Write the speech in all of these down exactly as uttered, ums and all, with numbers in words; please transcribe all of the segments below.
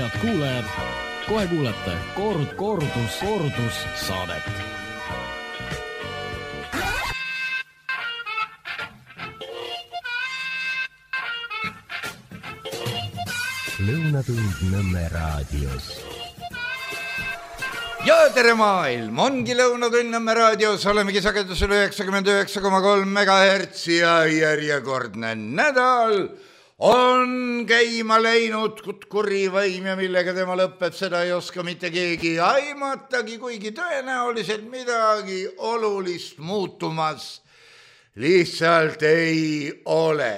Head kuulajad, kohe kuulete kord, kordus, kordus saadet. Lõunatund Nõmme raadios. Ja tere maailm, ongi Lõunatund Nõmme raadios, olemegi sagedusel üheksakümmend üheksa koma kolm megahertsi ja järjekordne nädal on käima läinud kuri vaim ja millega tema lõpeb, seda ei oska mitte keegi aimatagi, kuigi tõenäoliselt midagi olulist muutumas lihtsalt ei ole.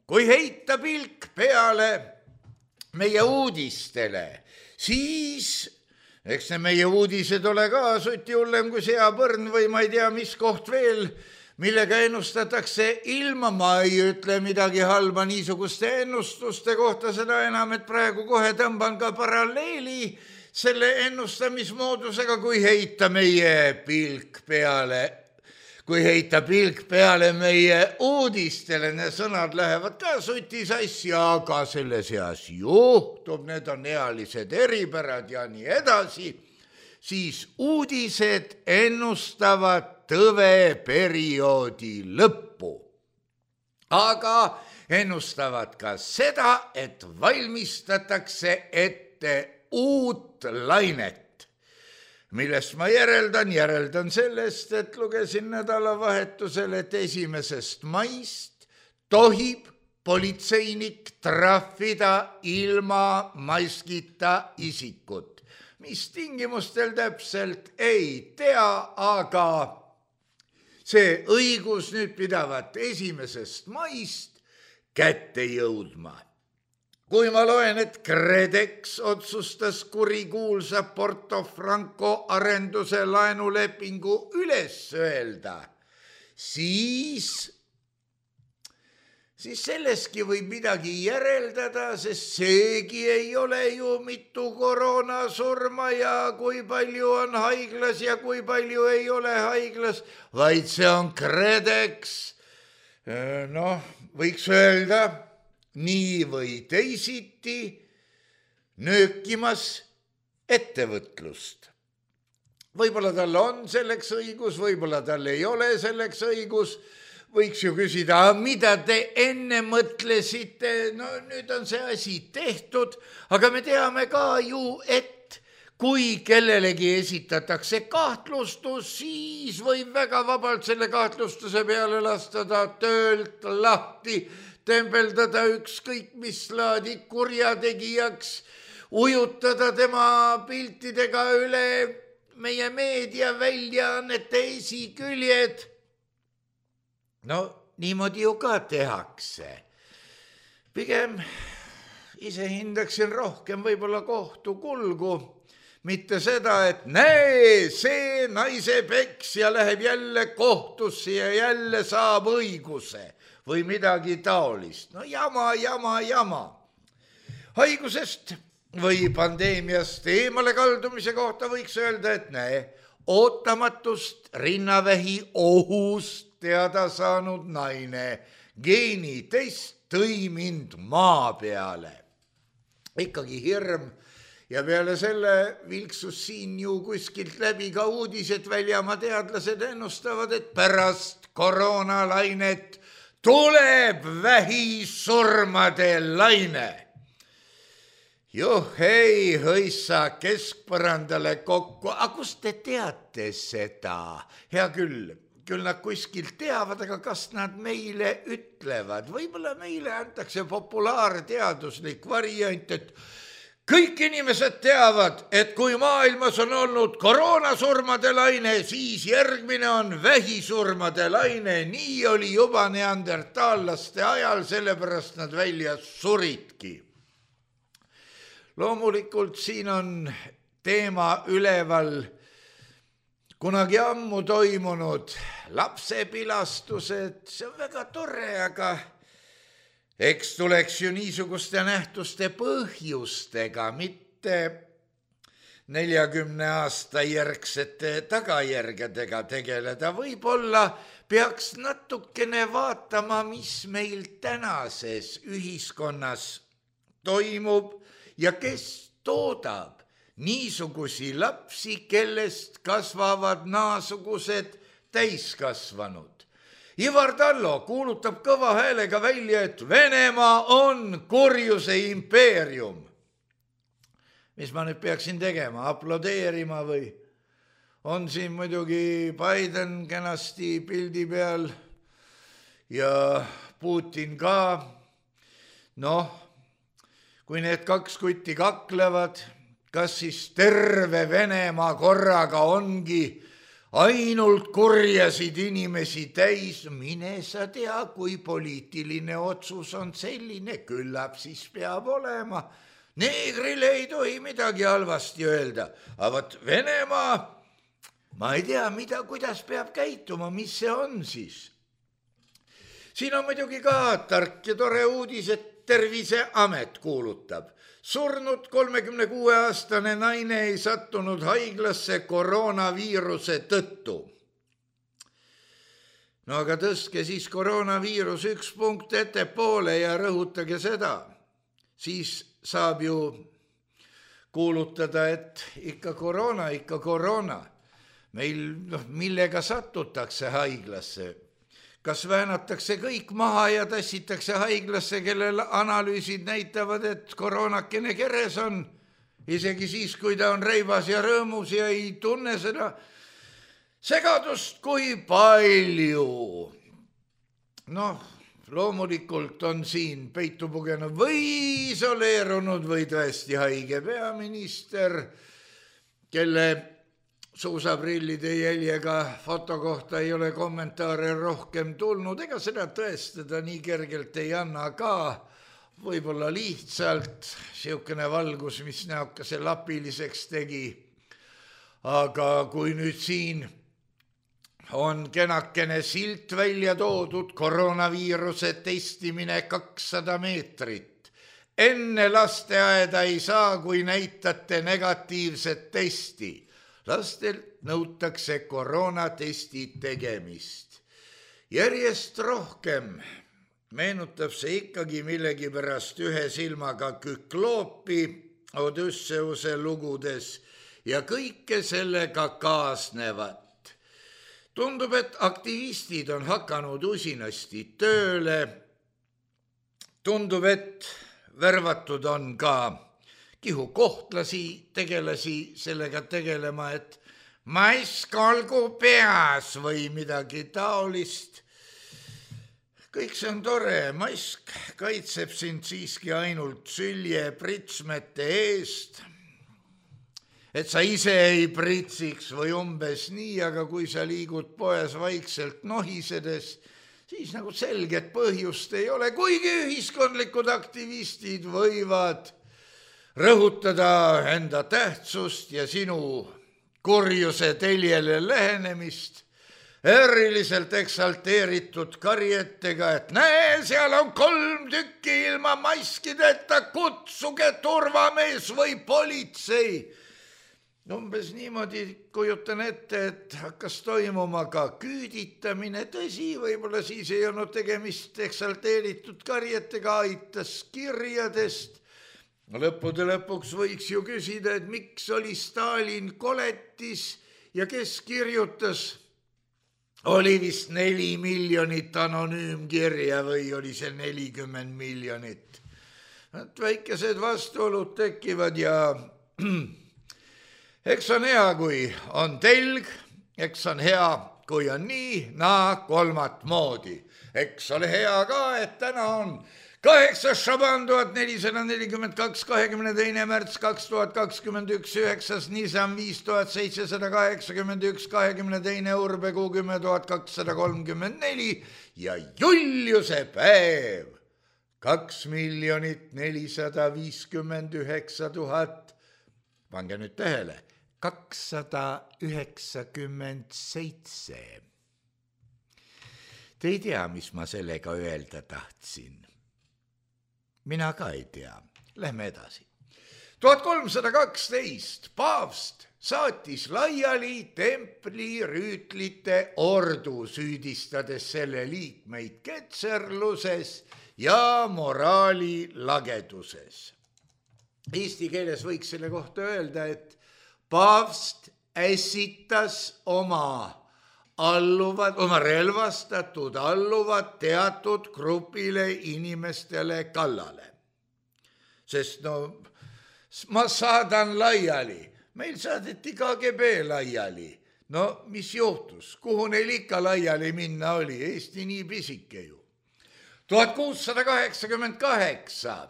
Kui heita pilk peale meie uudistele, siis eks ne meie uudised ole ka suti hullem kui seapõrn või ma ei tea, mis koht veel, millega ennustatakse ilma, ma ei ütle midagi halba niisuguste ennustuste kohta, seda enam, et praegu kohe tõmban ka paralleeli selle ennustamismoodusega, kui heita meie pilk peale, kui heita pilk peale meie uudistele, need sõnad lähevad ka suti sassi, aga selle seas juhtub, need on ealised eripärad ja nii edasi, siis uudised ennustavad tõveperioodi lõppu. Aga ennustavad ka seda, et valmistatakse ette uut lainet, millest ma järeldan, järeldan sellest, et lugesin nädalavahetusel, et esimesest maist tohib politseinik trahvida ilma maskita isikut. Mis tingimustel täpselt ei tea, aga see õigus nüüd pidavat esimesest maist kätte jõudma. Kui ma loen, et KredEx otsustas kurikuulsa Porto Franco arenduse laenulepingu üles öelda, siis, siis selleski võib midagi järeldada, sest seegi ei ole ju mitu koroonasurma ja kui palju on haiglas ja kui palju ei ole haiglas, vaid see on KredEx, noh, võiks öelda, nii või teisiti nöökimas ettevõtlust. Võib-olla tal on selleks õigus, võib-olla tal ei ole selleks õigus, võiks ju küsida, mida te enne mõtlesite, no nüüd on see asi tehtud, aga me teame ka ju, et kui kellelegi esitatakse kahtlustus, siis võib väga vabalt selle kahtlustuse peale lastada töölt lahti, tembeldada ükskõik mis laadi kurjategijaks, ujutada tema piltidega üle meie meediaväljaannete esiküljed. No niimoodi ju ka tehakse. Pigem ise hindaksin rohkem võib-olla kohtu kulgu, mitte seda, et näe, see naise peksja läheb jälle kohtusse ja jälle saab õiguse või midagi taolist. No jama, jama, jama. Haigusest või pandeemiast eemale kaldumise kohta võiks öelda, et näe, ootamatust rinnavähi ohust teada saanud naine, geenitest tõi mind maa peale. Ikkagi hirm ja peale selle vilksus siin ju kuskilt läbi ka uudised väljamaa teadlased ennustavad, et pärast koroonalainet tuleb vähisurmade laine. Juh, ei hõissa keskpõrandale kokku, aga kust te teate seda? Hea küll. Küll nad kuskilt teavad, aga kas nad meile ütlevad? Võib-olla meile antakse populaarteaduslik variant, et kõik inimesed teavad, et kui maailmas on olnud koroonasurmade laine, siis järgmine on vähisurmade laine. Nii oli juba neandertaallaste ajal, sellepärast nad välja suridki. Loomulikult siin on teema üleval kunagi ammu toimunud lapsepilastused, see on väga tore, aga eks tuleks ju niisuguste nähtuste põhjustega, mitte neljakümne aasta järgsete tagajärgedega tegeleda. Võib-olla peaks natukene vaatama, mis meil tänases ühiskonnas toimub ja kes toodab niisugusi lapsi, kellest kasvavad naasugused täiskasvanud. Ivar Tallo kuulutab kõva häälega välja, et Venemaa on kurjuse impeerium. Mis ma nüüd peaksin tegema, aplodeerima või? On siin muidugi Biden kenasti pildi peal ja Putin ka. Noh, kui need kaks kutti kaklevad, kas siis terve Venemaa korraga ongi ainult kurjasid inimesi täis, mine sa tea, kui poliitiline otsus on selline, küllap siis peab olema. Neegrile ei tohi midagi halvasti öelda, aga võt Venemaa, ma ei tea, mida, kuidas peab käituma, mis see on siis. Siin on muidugi ka tark ja tore uudis, et Terviseamet kuulutab. Surnud kolmekümne kuue aastane naine ei sattunud haiglasse koroonaviiruse tõttu. No aga tõstke siis koroonaviirus üks punkt ettepoole ja rõhutage seda. Siis saab ju kuulutada, et ikka koroona, ikka koroona. Meil, noh, millega satutakse haiglasse? Kas väänatakse kõik maha ja tassitakse haiglasse, kellel analüüsid näitavad, et koroonakene keres on, isegi siis, kui ta on reibas ja rõõmus ja ei tunne seda segadust, kui palju. Noh, loomulikult on siin peitu pugenud või isoleerunud või tõesti haige peaminister, kelle suusaprillide jäljega foto kohta ei ole kommentaare rohkem tulnud, ega seda tõestada nii kergelt ei anna ka, võib-olla lihtsalt siukene valgus, mis näokese lapiliseks tegi. Aga kui nüüd siin on kenakene silt välja toodud, koroonaviiruse testimine kakssada meetrit. Enne lasteaeda ei saa, kui näitate negatiivset testi. Lastelt nõutakse koroonatesti tegemist. Järjest rohkem meenutab see ikkagi millegipärast ühe silmaga Kükloopi Odysseuse lugudes ja kõike sellega kaasnevat. Tundub, et aktivistid on hakanud usinasti tööle. Tundub, et värvatud on ka Kihu kohtlasi tegelasi sellega tegelema, et mask olgu peas või midagi taolist. Kõik see on tore, mask kaitseb sind siiski ainult sülje pritsmete eest, et sa ise ei pritsiks või umbes nii, aga kui sa liigud poes vaikselt nohisedes, siis nagu selget põhjust ei ole, kuigi ühiskondlikud aktivistid võivad rõhutada enda tähtsust ja sinu kurjuse teljele lähenemist, eriliselt eksalteeritud karjetega, et näe, seal on kolm tükki ilma maskideta, kutsuge turvamees või politsei. Umbes niimoodi kujutan ette, et hakkas toimuma ka küüditamine, tõsi, võib-olla siis ei olnud tegemist eksalteeritud karjetega, aitas kirjadest. Lõppude lõpuks võiks ju küsida, et miks oli Stalin koletis ja kes kirjutas? Oli vist neli miljonit anonüümkirja või oli see nelikümmend miljonit? Väikesed vastuolud tekivad ja eks on hea, kui on telg, eks on hea, kui on nii, naa kolmat moodi. Eks ole hea ka, et täna on kaheksas Šaban tuhat nelisada nelikümmend kaks, kahekümne teine märts kaks tuhat kakskümmend üks, üheksas Nisan viis tuhat seitsesada kaheksakümmend üks, kahekümne teine Urbekuu kümme tuhat kakssada kolmkümmend neli ja Juliuse päev kaks miljonit nelisada viiskümmend üheksa tuhat. Pange nüüd tähele, kakssada üheksakümmend seitse. Te ei tea, mis ma sellega öelda tahtsin. Mina ka ei tea. Lähme edasi. tuhat kolmsada kaksteist paavst saatis laiali templi rüütlite ordu, süüdistades selle liikmeid ketserluses ja moraali lageduses. Eesti keeles võiks selle kohta öelda, et paavst ässitas oma alluvad, oma relvastatud alluvad teatud grupile inimestele kallale. Sest no ma saadan laiali, meil saadeti K G B laiali. No mis juhtus, kuhu neil ikka laiali minna oli, Eesti nii pisike ju. tuhat kuussada kaheksakümmend kaheksa,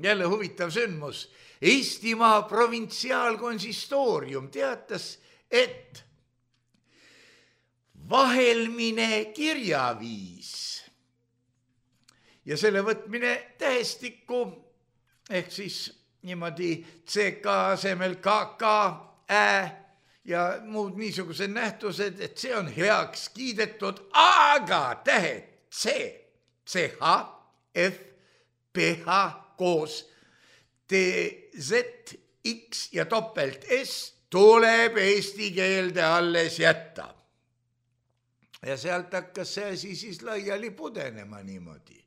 jälle huvitav sündmus, Eestimaa provintsiaalkonsistoorium teatas, et vahelmine kirjaviis ja selle võtmine tähestikku ehk siis niimoodi C K asemel K K, Ä ja muud niisugused nähtused, et see on heaks kiidetud, aga tähed C, C H, F, P H koos T, Z, X ja topelt S tuleb eesti keelde alles jätta. Ja sealt hakkas see asi siis laiali pudenema niimoodi.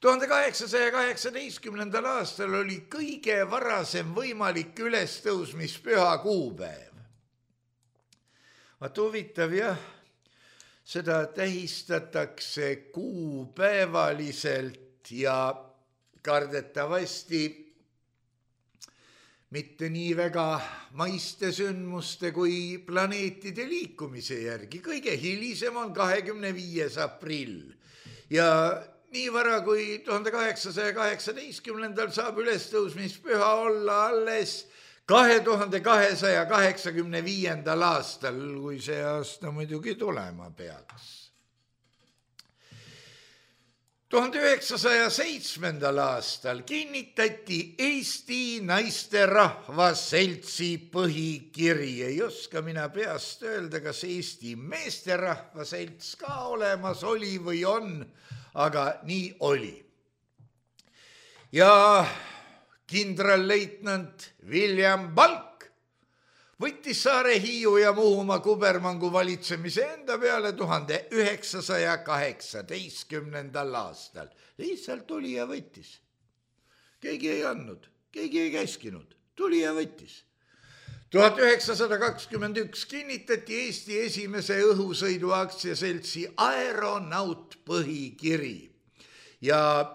tuhande kaheksasaja kaheksateistkümnendal aastal oli kõige varasem võimalik ülestõusmispüha kuupäev. Vaat huvitav jah, seda tähistatakse kuupäevaliselt ja kardetavasti mitte nii väga maiste sündmuste kui planeetide liikumise järgi. Kõige hilisem on kahekümne viies aprill ja nii vara kui tuhande kaheksasaja kaheksateistkümnendal saab ülestõusmispüha olla alles kahe tuhande kahesaja kaheksakümne viiendal aastal, kui see aasta muidugi tulema peaks. tuhande üheksasaja seitsmendal aastal kinnitati Eesti Naisterahva Seltsi põhikiri. Ei oska mina peast öelda, kas Eesti Meesterahva Selts ka olemas oli või on, aga nii oli. Ja kindralleitnant William Balk võttis Saare, Hiiu ja Muhumaa kubermangu valitsemise enda peale tuhande üheksasaja kaheksateistkümnendal aastal. Lihtsalt tuli ja võttis. Keegi ei andnud, keegi ei käskinud, tuli ja võttis. tuhat üheksasada kakskümmend üks kinnitati Eesti esimese õhusõidu aktsiaseltsi Aeronaut põhikiri ja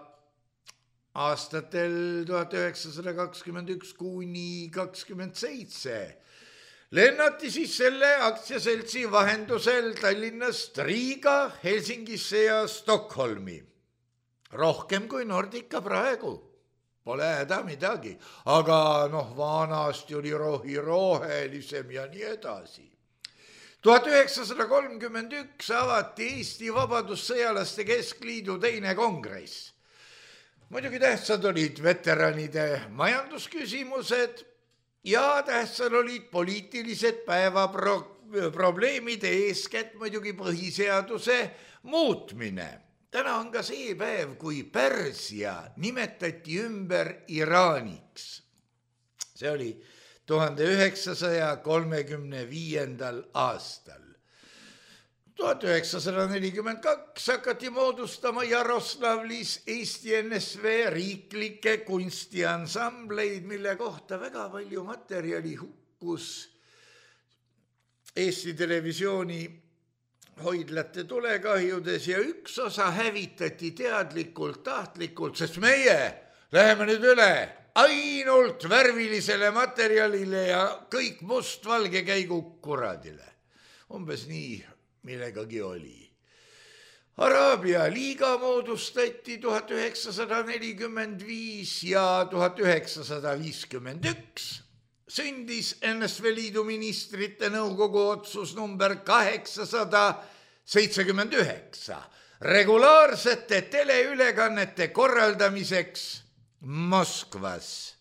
aastatel tuhat üheksasada kakskümmend üks kuni kakskümmend seitse lennati siis selle aktsiaseltsi vahendusel Tallinnast Riiga, Helsingisse ja Stockholmi. Rohkem kui Nordica praegu. Pole häda midagi, aga noh, vanasti oli rohi rohelisem ja nii edasi. tuhat üheksasada kolmkümmend üks avati Eesti Vabadussõjalaste Keskliidu teine kongress. Muidugi tähtsad olid veteranide majandusküsimused ja tähtsad olid poliitilised päevaprobleemid, eeskätt muidugi põhiseaduse muutmine. Täna on ka see päev, kui Pärsia nimetati ümber Iraaniks. See oli tuhande üheksasaja kolmekümne viiendal aastal. tuhat üheksasada nelikümmend kaks hakati moodustama Jaroslavlis Eesti N S V riiklikke kunstiansambleid, mille kohta väga palju materjali hukkus Eesti Televisiooni hoidlate tulekahjudes ja üks osa hävitati teadlikult, tahtlikult, sest meie läheme nüüd üle ainult värvilisele materjalile ja kõik must-valge käigu kuradile. Umbes nii millegagi oli. Araabia liiga moodustati tuhat üheksasada nelikümmend viis ja tuhat üheksasada viiskümmend üks. Sündis N S V Liidu ministrite nõukogu otsus number kaheksasada seitsekümmend üheksa regulaarsete teleülekannete korraldamiseks Moskvas.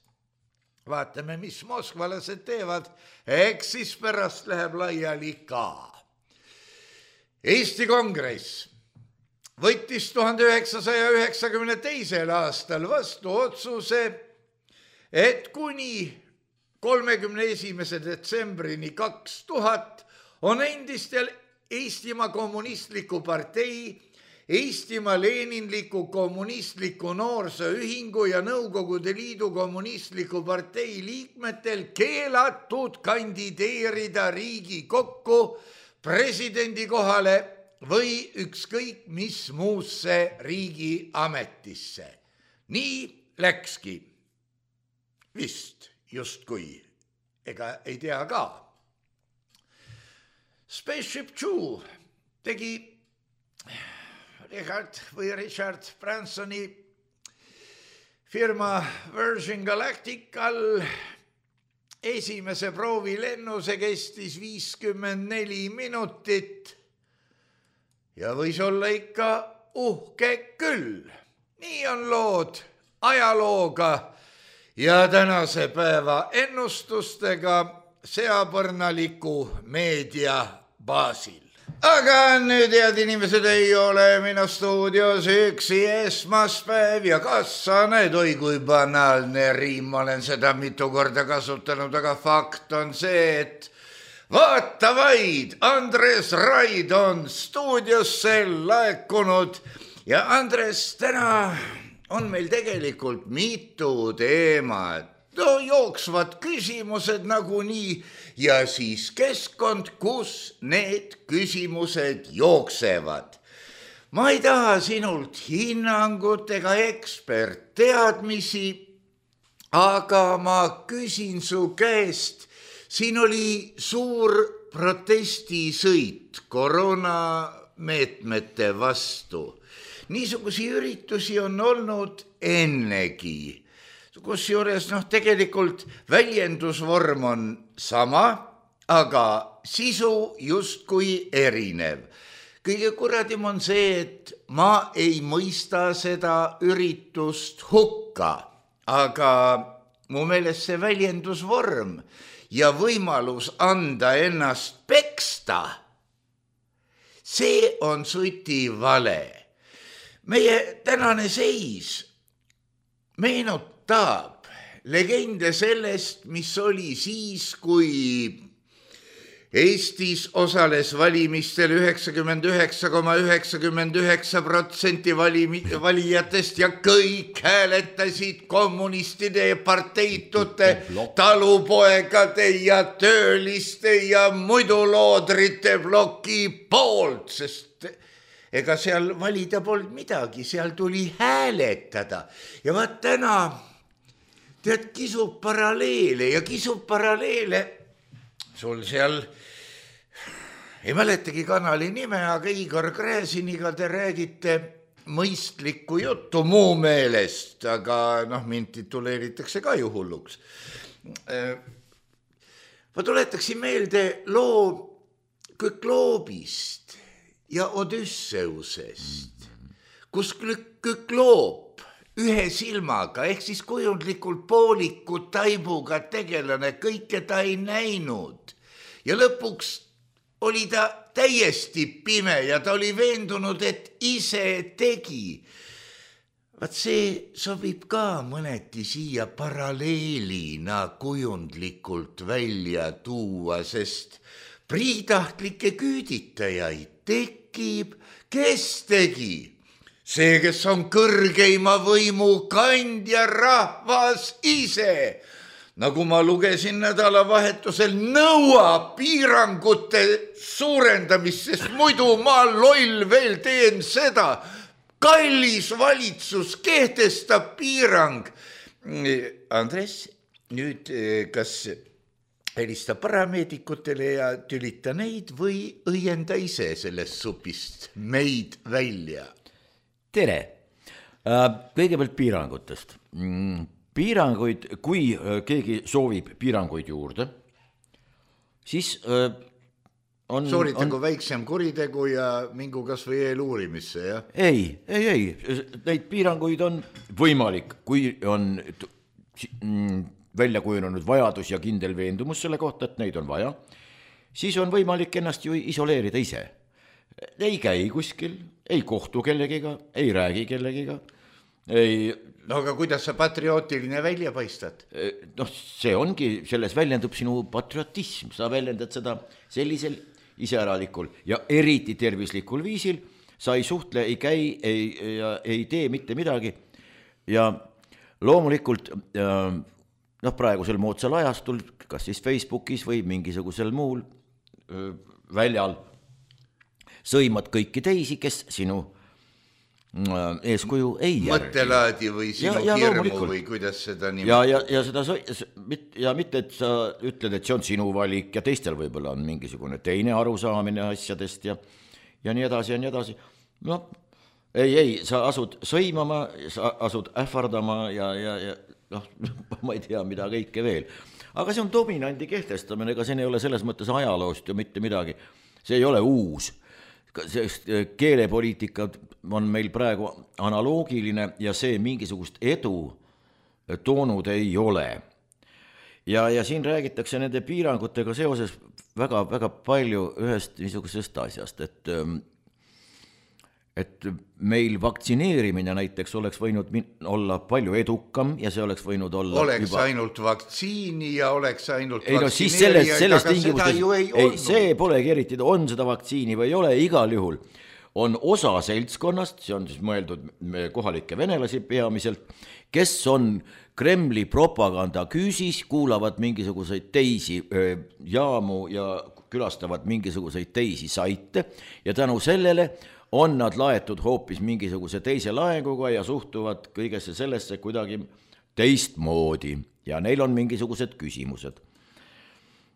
Vaatame, mis moskvalased teevad, eks siis pärast läheb laiali ka. Eesti Kongress võttis tuhande üheksasaja üheksakümne teisel aastal vastu otsuse, et kuni kolmekümne esimese detsembrini kaks tuhat on endistel Eestimaa Kommunistliku partei Eestimaa Leninliku kommunistliku noorsooühingu ja Nõukogude Liidu kommunistliku partei liikmetel keelatud kandideerida Riigikokku presidendi kohale või ükskõik mis muusse riigi ametisse. Nii läkski. Vist justkui, ega ei tea ka. Spaceship Two tegi Richard või Richard Bransoni firma Virgin Galactical esimese proovilennu, see kestis viiskümmend neli minutit ja võis olla ikka uhke küll. Nii on lood ajalooga ja tänase päeva ennustustega seapõrnaliku meedia baasil. Aga nüüd, head inimesed, ei ole minu stuudios üksi esmaspäev ja kassaned, oi kui banaalne riim, olen seda mitu korda kasutanud, aga fakt on see, et vaata vaid, Andres Raid on stuudiosse laekunud ja Andres, täna on meil tegelikult mitu teemat. No, jooksvad küsimused nagunii ja siis keskkond, kus need küsimused jooksevad. Ma ei taha sinult hinnangut ega ekspertteadmisi, aga ma küsin su käest, siin oli suur protestisõit koroonameetmete vastu. Niisugusi üritusi on olnud ennegi. Kus juures, noh, tegelikult väljendusvorm on sama, aga sisu justkui erinev. Kõige kuradim on see, et ma ei mõista seda üritust hukka, aga mu meelest see väljendusvorm ja võimalus anda ennast peksta, see on suti vale. Meie tänane seis meenutab Taab legende sellest, mis oli siis, kui Eestis osales valimistel üheksakümmend üheksa koma üheksakümmend üheksa protsenti valijatest ja kõik hääletasid kommunistide ja parteitute, talupoegade ja tööliste ja muiduloodrite ploki poolt, sest ega seal valida polnud midagi, seal tuli hääletada. Ja vaat täna tead, kisub paralleele ja kisub paralleele. Sul seal, ei mäletagi kanali nime, aga Igor Gräziniga te räägite mõistlikku juttu muu meelest, aga noh, mind tituleeritakse ka ju hulluks. Ma tuletaksin meelde loo Kükloobist ja Odysseusest, kus Kükloob ühe silmaga ehk siis kujundlikult pooliku taibuga tegelane kõike ta ei näinud ja lõpuks oli ta täiesti pime ja ta oli veendunud, et ise tegi. Vaat see sobib ka mõneti siia paralleelina kujundlikult välja tuua, sest priitahtlikke küüditajaid tekib, kes tegi? See, kes on kõrgeima võimu kandja, rahvas ise. Nagu ma lugesin nädalavahetusel, nõuab piirangute suurendamist, sest muidu ma loll veel teen seda. Kallis valitsus kehtestab piirang. Andres, nüüd kas helista parameedikutele ja tülita neid või õienda ise sellest supist meid välja? Tere! Kõigepealt piirangutest. Piiranguid, kui keegi soovib piiranguid juurde, siis on... Sooritagu on... väiksem kuritegu ja mingu kas või eeluurimisse, jah? Ei, ei, ei. Neid piiranguid on võimalik, kui on välja kujunenud vajadus ja kindel veendumus selle kohta, et neid on vaja, siis on võimalik ennast ju isoleerida ise. Ei käi kuskil, ei kohtu kellegiga, ei räägi kellegiga, ei... No aga kuidas sa patriootiline välja paistad? Noh, see ongi, selles väljendub sinu patriotism, sa väljendad seda sellisel iseäralikul ja eriti tervislikul viisil, sa ei suhtle, ei käi, ei, ja, ei tee mitte midagi ja loomulikult noh, praegusel moodsal ajastul, kas siis Facebookis või mingisugusel muul väljal sõimad kõiki teisi, kes sinu eeskuju ei järgi. Mõttelaadi või sinu ja, ja hirmu või kuidas seda nimetada. Ja, ja, ja, seda, ja mitte, et sa ütled, et see on sinu valik ja teistel võib-olla on mingisugune teine arusaamine asjadest ja, ja nii edasi ja nii edasi. No, ei, ei, sa asud sõimama, sa asud ähvardama ja, ja, ja noh, ma ei tea, mida kõike veel. Aga see on dominandi kehtestamine, ega see ei ole selles mõttes ajaloost ju mitte midagi. See ei ole uus. Sest keelepoliitika on meil praegu analoogiline ja see mingisugust edu toonud ei ole. Ja, ja siin räägitakse nende piirangutega seoses väga, väga palju ühest niisugusest asjast, et, et meil vaktsineerimine näiteks oleks võinud olla palju edukam ja see oleks võinud olla oleks juba... ainult vaktsiini ja oleks ainult ei, no, vaktsineerijaid, selles, aga seda ju ei, ei olnud. See polegi eriti, on seda vaktsiini või ei ole, igal juhul on osa seltskonnast, see on siis mõeldud kohalike venelasi peamiselt, kes on Kremli propaganda küüsis, kuulavad mingisuguseid teisi jaamu ja külastavad mingisuguseid teisi saite ja tänu sellele on nad laetud hoopis mingisuguse teise laenguga ja suhtuvad kõigesse sellesse kuidagi teistmoodi ja neil on mingisugused küsimused.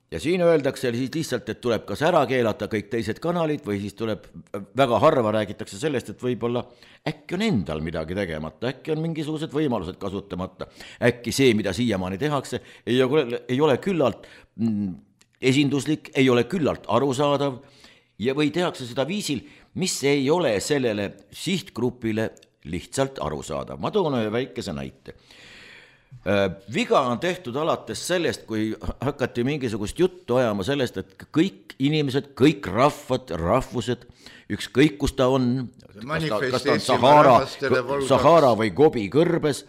Ja siin öeldakse siis lihtsalt, et tuleb kas ära keelata kõik teised kanalid või siis tuleb, väga harva räägitakse sellest, et võib-olla äkki on endal midagi tegemata, äkki on mingisugused võimalused kasutamata, äkki see, mida siiamaani tehakse, ei ole, ei ole küllalt esinduslik, ei ole küllalt arusaadav ja või tehakse seda viisil, mis ei ole sellele sihtgrupile lihtsalt arusaadav. Ma toon ühe väikese näite. Viga on tehtud alates sellest, kui hakati mingisugust juttu ajama sellest, et kõik inimesed, kõik rahvad, rahvused, ükskõik kus ta on, kas ta, kas ta on Sahara, Sahara või Gobi kõrbes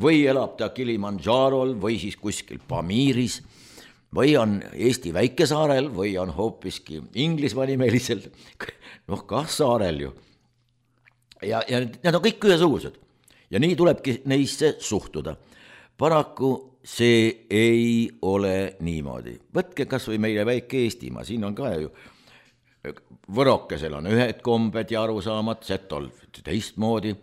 või elab ta Kilimanjarol või siis kuskil Pamiris või on Eesti väikesaarel või on hoopiski Inglismaa nimelisel, noh kah saarel ju. Ja, ja need on kõik ühesugused ja nii tulebki neisse suhtuda. Paraku see ei ole niimoodi. Võtke kas või meile väike Eestimaa, siin on ka ju Võrokesel on ühed kombed ja arusaamad, setol teistmoodi.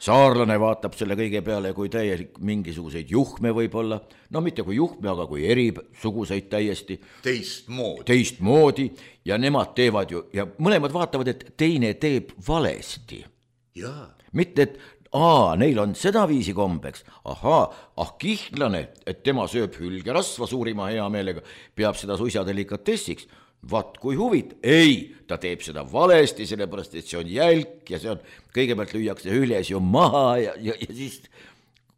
Saarlane vaatab selle kõige peale, kui täielik mingisuguseid juhme võib olla, no mitte kui juhme, aga kui erisuguseid täiesti. Teistmoodi. Teistmoodi ja nemad teevad ju, ja mõlemad vaatavad, et teine teeb valesti. Jaa. Mitte, et aa, neil on seda viisi kombeks, ahaa, ah kihlane, et tema sööb hülgerasva suurima hea meelega, peab seda suisa delikatessiks. Vaat kui huvit, ei, ta teeb seda valesti, sellepärast, et see on jälk ja see on, kõigepealt lüüakse hüljes ju maha ja, ja, ja siis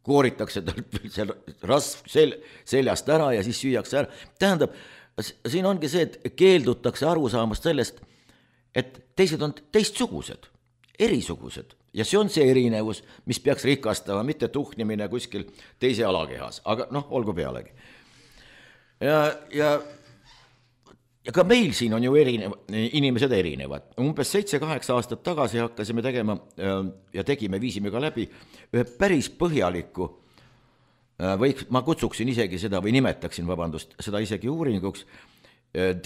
kooritakse tal see rasv sel, seljast ära ja siis süüakse ära. Tähendab, siin ongi see, et keeldutakse aru saamast sellest, et teised on teistsugused, erisugused ja see on see erinevus, mis peaks rikastama, mitte tuhnimine kuskil teise alakehas, aga noh, olgu pealegi. Ja, ja Ja ka meil siin on ju erinev, inimesed erinevad. Umbes seitse-kaheksa aastat tagasi hakkasime tegema ja tegime, viisime ka läbi ühe päris põhjaliku, või ma kutsuksin isegi seda või nimetaksin, vabandust, seda isegi uuringuks.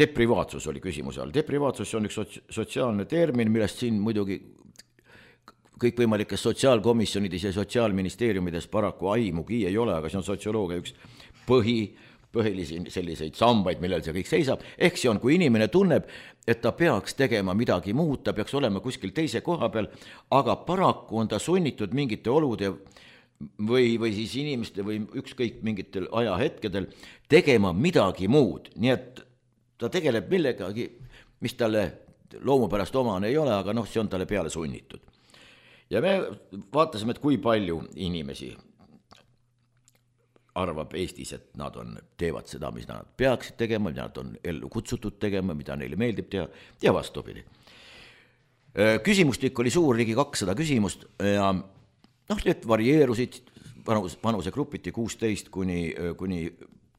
Deprivaatsus oli küsimuse all. Deprivaatsus on üks sotsiaalne termin, millest siin muidugi kõikvõimalikes sotsiaalkomisjonides ja sotsiaalministeeriumides paraku aimugi ei ole, aga see on sotsioloogia üks põhi põhilisi selliseid sambaid, millel see kõik seisab. Ehk see on, kui inimene tunneb, et ta peaks tegema midagi muud, ta peaks olema kuskil teise koha peal, aga paraku on ta sunnitud mingite olude või, või siis inimeste või ükskõik mingitel ajahetkedel tegema midagi muud. Nii et ta tegeleb millegagi, mis talle loomupärast omane ei ole, aga noh, see on talle peale sunnitud. Ja me vaatasime, et kui palju inimesi arvab Eestis, et nad on, teevad seda, mis nad peaksid tegema, mida nad on ellu kutsutud tegema, mida neile meeldib teha ja vastupidi. Küsimustik oli suur, ligi kakssada küsimust ja noh, need varieerusid vanus, vanusegrupiti kuusteist kuni, kuni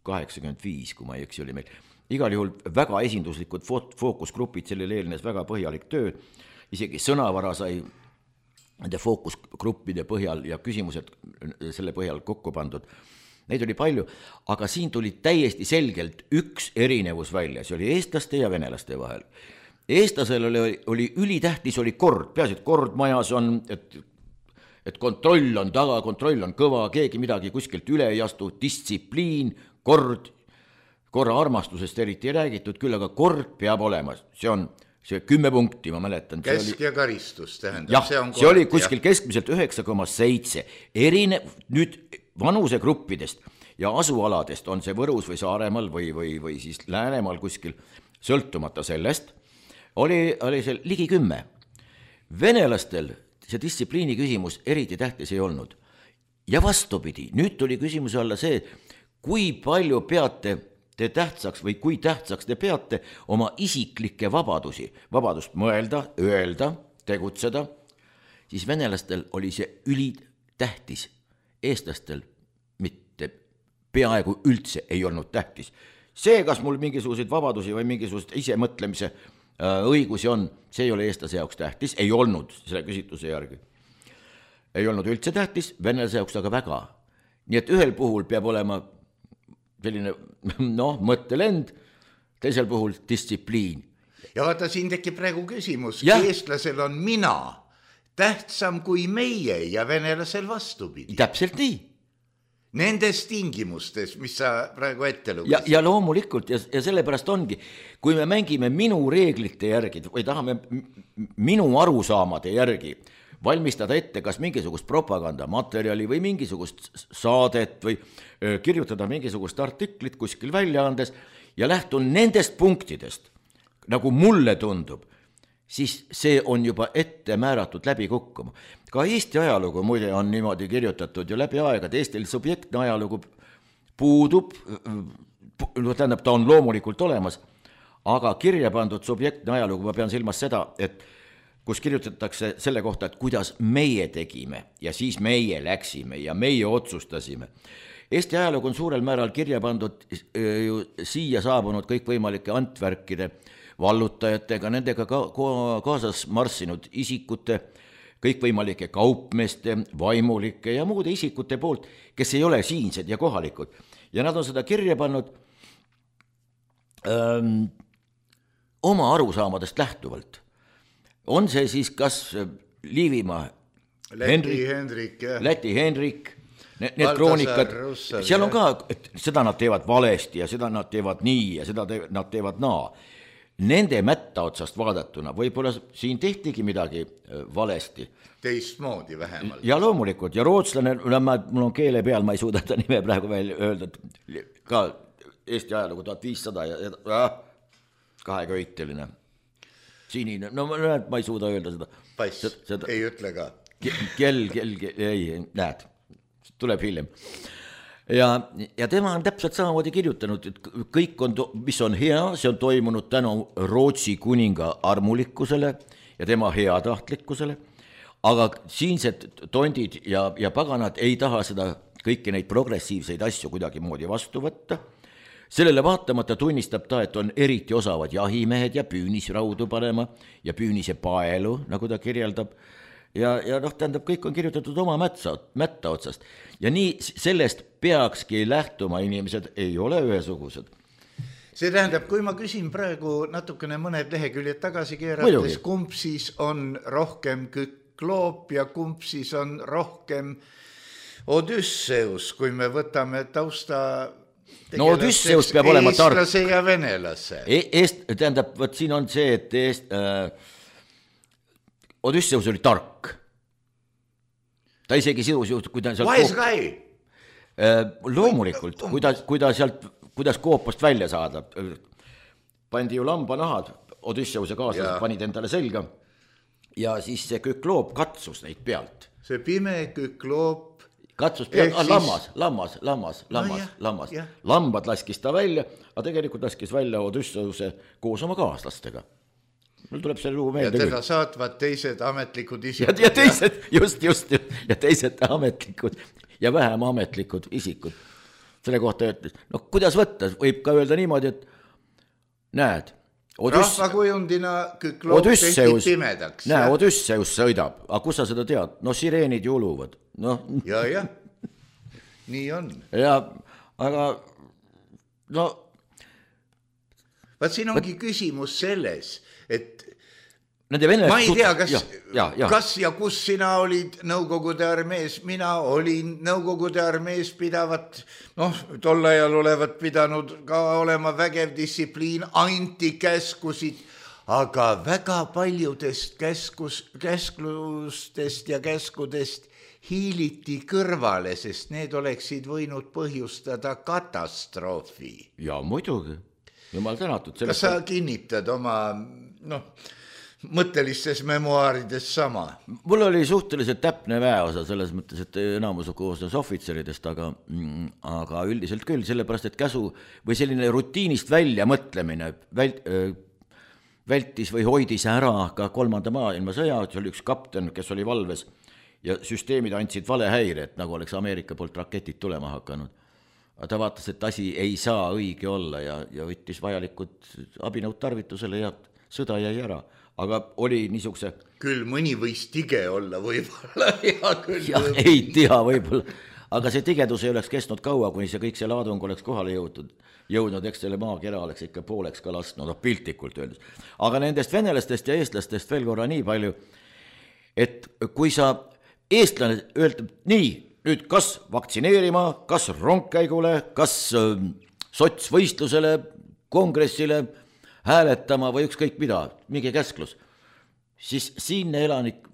kaheksakümmend viis, kui ma ei eksi, oli meil. Igal juhul väga esinduslikud fookusgrupid, sellele eelnes väga põhjalik töö isegi sõnavara sai nende fookusgruppide põhjal ja küsimused selle põhjal kokku pandud. Neid oli palju, aga siin tuli täiesti selgelt üks erinevus välja, see oli eestlaste ja venelaste vahel. Eestlasel oli, oli ülitähtis, oli kord, peaasi, et kord majas on, et et kontroll on taga, kontroll on kõva, keegi midagi kuskilt üle ei astu, distsipliin, kord, korra armastusest eriti ei räägitud, küll aga kord peab olema, see on see kümme punkti, ma mäletan. Kesk oli... ja karistus tähendab. Jah, see, on see oli kuskil jah. Keskmiselt üheksa koma seitse. Erine, nüüd vanusegruppidest ja asualadest on see Võrus või Saaremaal või, või, või siis Läänemaal kuskil sõltumata sellest, oli, oli see ligi kümme. Venelastel see distsipliini küsimus eriti tähtis ei olnud. Ja vastupidi, nüüd tuli küsimuse alla see, kui palju peate te tähtsaks või kui tähtsaks te peate oma isiklikke vabadusi, vabadust mõelda, öelda, tegutseda, siis venelastel oli see ülitähtis. Eestlastel mitte peaaegu üldse ei olnud tähtis. See, kas mul mingisuguseid vabadusi või mingisugused isemõtlemise õigusi on, see ei ole eestlase jaoks tähtis, ei olnud selle küsitluse järgi. Ei olnud üldse tähtis, venelase jaoks aga väga. Nii et ühel puhul peab olema selline noh, mõttelend, teisel puhul distsipliin. Ja vaata, siin tekib praegu küsimus, ja. Eestlasel on mina tähtsam kui meie ja venelasel vastupidi. Täpselt nii. Nendes tingimustes, mis sa praegu ette lugesid. Ja, ja loomulikult, ja, ja sellepärast ongi, kui me mängime minu reeglite järgi või tahame minu arusaamade järgi valmistada ette kas mingisugust propagandamaterjali või mingisugust saadet või kirjutada mingisugust artiklit kuskil väljaandes ja lähtun nendest punktidest, nagu mulle tundub, siis see on juba ette määratud läbi kukkuma. Ka Eesti ajalugu muide on niimoodi kirjutatud ju läbi aega, et Eestil subjektne ajalugu puudub, tähendab, ta on loomulikult olemas, aga kirja pandud subjektne ajalugu, ma pean silmas seda, et kus kirjutatakse selle kohta, et kuidas meie tegime ja siis meie läksime ja meie otsustasime. Eesti ajalugu on suurel määral kirja pandud ju siia saabunud kõikvõimalike Antwerkide vallutajatega, nendega ka, kaasas marssinud isikute, kõikvõimalike kaupmeeste, vaimulike ja muude isikute poolt, kes ei ole siinsed ja kohalikud. Ja nad on seda kirja pannud öö, oma arusaamadest lähtuvalt. On see siis kas Liivimaa Läti Henrik, Henrik, Läti Henrik, need, need kroonikad, seal on ka, et seda nad teevad valesti ja seda nad teevad nii ja seda te, nad teevad naa. Nende mätta otsast vaadatuna võib-olla siin tehtigi midagi valesti. Teistmoodi vähemalt. Ja loomulikult, ja rootslane, mul on keele peal, ma ei suuda ta nime praegu veel öelda, ka Eesti ajalugu tuhat viissada ja äh, kaheköiteline. Sinine, no ma ei suuda öelda seda. Pass, seda, ei ütle ka. Kell, kell, kell, ei, näed, tuleb hiljem. Ja, ja tema on täpselt samamoodi kirjutanud, et kõik on, mis on hea, see on toimunud tänu Rootsi kuninga armulikkusele ja tema heatahtlikkusele, aga siinsed tondid ja, ja paganad ei taha seda kõiki neid progressiivseid asju kuidagi moodi vastu võtta. Sellele vaatamata tunnistab ta, et on eriti osavad jahimehed ja püünisraudu panema ja püünise paelu, nagu ta kirjeldab. Ja, ja noh, tähendab, kõik on kirjutatud oma mätsa, mätta otsast. Ja nii sellest peakski lähtuma, inimesed ei ole ühesugused. See tähendab, kui ma küsin praegu natukene mõned leheküljed tagasi keerates, kumb siis on rohkem Kükloop ja kumb siis on rohkem Odysseus, kui me võtame tausta... No Odysseus peab olema tark. Eestlase ja venelase. E eest, tähendab, võt siin on see, et eest, äh, Odysseus oli tark. Ta isegi sidus juht, kui ta sealt Wise guy. Äh, loomulikult, kui ta, kui ta sealt, kuidas koopast välja saada. Pandi ju lambanahad, Odysseuse kaaslased panid endale selga ja siis see Kükloop katsus neid pealt. See pime Kükloop katsus pealt, ah, lammas, lammas, lammas, lammas, no, lammas. Ja. Lambad laskis ta välja, aga tegelikult laskis välja Odysseuse koos oma kaaslastega. Mul tuleb see lugu meelde. Ja teda saatvad teised ametlikud isikud. Ja, ja teised, just, just, ja teised ametlikud ja vähem ametlikud isikud. Selle kohta ütles, no kuidas võtta, võib ka öelda niimoodi, et näed, rahvakujundina Kükloob tehti pimedaks. Näe, Odüsseus sõidab, aga kus sa seda tead? No sireenid ju uluvad. No. Ja, jah, nii on. Ja, aga no. Vaat siin ongi küsimus selles, et ma ei tea, kas ja, ja, ja. kas ja kus sina olid Nõukogude armees, mina olin Nõukogude armees pidavat, noh, tol ajal olevat pidanud ka olema vägev distsipliin, anti käskusid, aga väga paljudest käskus, käsklustest ja käskudest hiiliti kõrvale, sest need oleksid võinud põhjustada katastroofi. Ja muidugi, jumal tänatud. Kas sa kinnitad oma, noh, mõttelistes memuaarides sama? Mul oli suhteliselt täpne väeosa selles mõttes, et enamus koosnes ohvitseridest, aga, aga üldiselt küll, sellepärast, et käsu või selline rutiinist välja mõtlemine vält, vältis või hoidis ära ka kolmanda maailmasõja, see oli üks kapten, kes oli valves ja süsteemid andsid valehäire, et nagu oleks Ameerika poolt raketid tulema hakanud. Ta vaatas, et asi ei saa õige olla ja, ja võttis vajalikud abinõud tarvitusele ja sõda jäi ära. Aga oli niisuguse... Küll mõni võis tige olla võib-olla. Ja, küll ja ei tea võib-olla. Aga see tigedus ei oleks kestnud kaua, kuni see kõik see laadung oleks kohale jõutud. Jõudnud, eks selle maakera oleks ikka pooleks ka lastnud, no piltlikult öeldes. Aga nendest venelastest ja eestlastest veel korra nii palju, et kui sa eestlane öeldab nii, nüüd kas vaktsineerima, kas rongkäigule, kas sotsvõistlusele, kongressile, hääletama või ükskõik mida, mingi käsklus, siis siinne elanik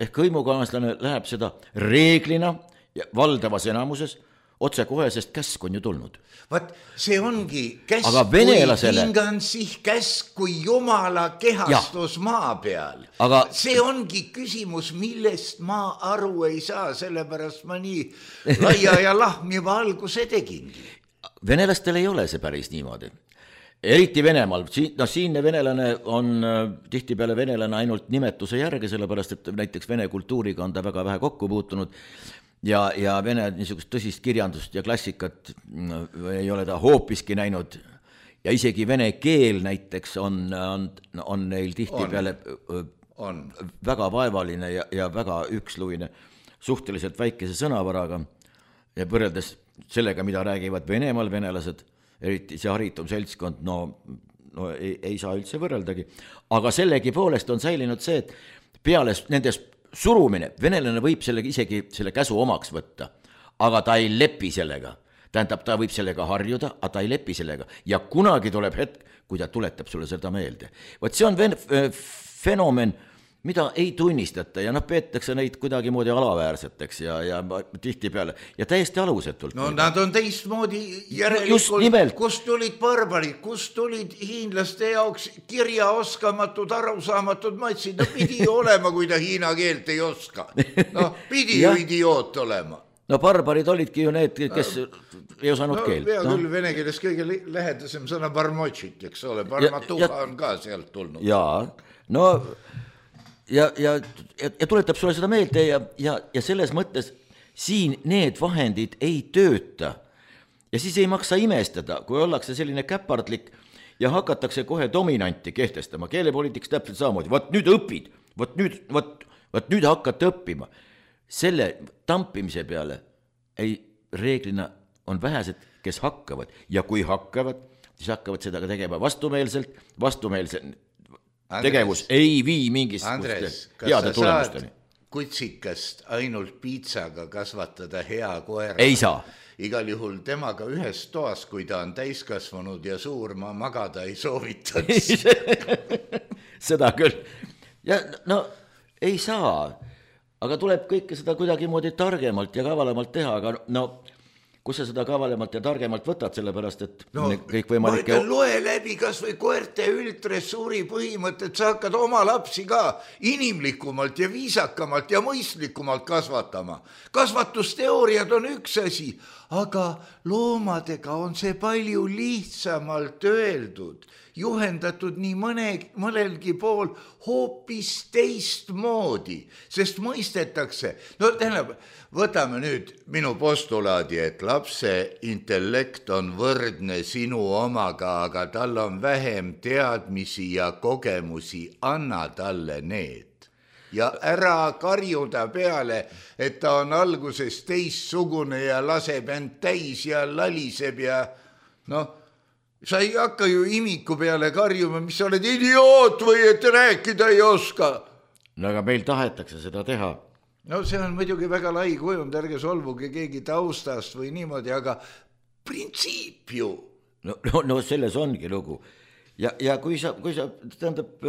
ehk hõimukaaslane läheb seda reeglina ja valdavas enamuses otse kohe, sest käsk on ju tulnud. Vaat see ongi käsk, venelasele... kui hingan sih käsk, kui jumala kehastus ja. Maa peal. Aga... See ongi küsimus, millest ma aru ei saa, sellepärast ma nii laia ja lahmiva alguse tegingi. Venelastel ei ole see päris niimoodi. Eriti Venemaal, no siinne venelane on tihtipeale venelane ainult nimetuse järgi, sellepärast, et näiteks vene kultuuriga on ta väga vähe kokku puutunud ja, ja vene niisugust tõsist kirjandust ja klassikat ei ole ta hoopiski näinud ja isegi vene keel näiteks on, on, on neil tihtipeale on. On. väga vaevaline ja, ja väga üksluine, suhteliselt väikese sõnavaraga ja võrreldes sellega, mida räägivad Venemaal venelased, eriti see haritum seltskond, no, no ei, ei saa üldse võrreldagi. Aga sellegi poolest on säilinud see, et peale nendes surumine, venelane võib selle, isegi selle käsu omaks võtta, aga ta ei lepi sellega. Tähendab, ta võib sellega harjuda, aga ta ei lepi sellega. Ja kunagi tuleb hetk, kui ta tuletab sulle seda meelde. Võt see on ven- fenomen, mida ei tunnistata ja noh, peetakse neid kuidagi moodi alaväärseteks ja, ja tihti peale ja täiesti alusetult. No nad on teistmoodi järelikult, kust tulid barbarid, kust tulid hiinlaste jaoks kirjaoskamatud, arusaamatud matsid, no pidi olema, kui ta hiina keelt ei oska. No pidi ju idioot olema. No barbarid olidki ju need, kes ei osanud no, keelt. Pea no. Küll vene keeles kõige lähedasem sõna barmotšit, eks ole, barmatuha on ka sealt tulnud. Jaa, no... Ja, ja, ja tuletab sulle seda meelde ja, ja, ja selles mõttes siin need vahendid ei tööta. Ja siis ei maksa imestada, kui ollakse selline käpardlik ja hakatakse kohe dominanti kehtestama. Keelepoliitiks täpselt samamoodi. Võt nüüd õpid, võt nüüd, võt, võt nüüd hakkate õppima. Selle tampimise peale ei reeglina on vähesed, kes hakkavad. Ja kui hakkavad, siis hakkavad seda ka tegema vastumeelselt, vastumeelselt. Andres, tegevus ei vii mingist Andres, kas sa saad kutsikast ainult piitsaga kasvatada hea koera? Ei saa. Igal juhul temaga ühes toas, kui ta on täiskasvanud ja suur, ma magada ei soovitaks. Seda küll. Ja no ei saa, aga tuleb kõike seda kuidagi moodi targemalt ja kavalamalt teha, aga no... kus sa seda kavalemalt ja targemalt võtad, sellepärast, et no, kõik võimalike... ma ütlen, loe läbi kas või koerte üldressuuri põhimõtted, sa hakkad oma lapsi ka inimlikumalt ja viisakamalt ja mõistlikumalt kasvatama. Kasvatusteooriad on üks asi, aga loomadega on see palju lihtsamalt öeldud. juhendatud nii mõne, mõnelgi pool hoopis teistmoodi, sest mõistetakse, no tähendab, võtame nüüd minu postulaadi, et lapse intellekt on võrdne sinu omaga, aga tal on vähem teadmisi ja kogemusi, anna talle need. Ja ära karjuda peale, et ta on alguses teistsugune ja laseb end täis ja laliseb ja noh, sa ei hakka ju imiku peale karjuma, mis sa oled idioot või et rääkida ei oska. No aga meil tahetakse seda teha. No see on muidugi väga lai kujund, ärge solvuge keegi taustast või niimoodi, aga printsiip ju. No, no, no selles ongi lugu. Ja, ja kui sa, kui sa tähendab,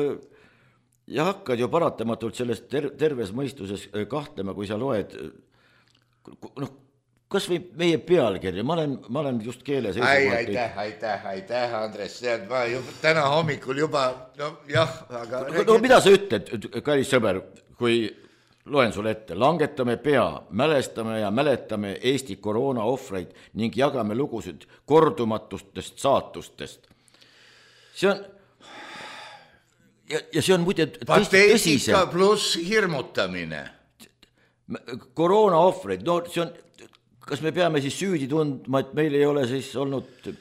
ja hakkad ju paratamatult sellest ter- terves mõistuses kahtlema, kui sa loed, noh, kas või meie pealkirja, ma olen, ma olen just keeles Ai, aitäh, aitäh, aitäh, Andres, tead, ma juba, täna hommikul juba, no jah, aga no, no mida sa ütled, kallis sõber, kui loen sulle ette, langetame pea, mälestame ja mäletame Eesti koroona ohvreid ning jagame lugusid kordumatustest saatustest. See on ja, ja see on muide pateetika pluss hirmutamine. Koroona ohvreid, no see on, kas me peame siis süüdi tundma, et meil ei ole siis olnud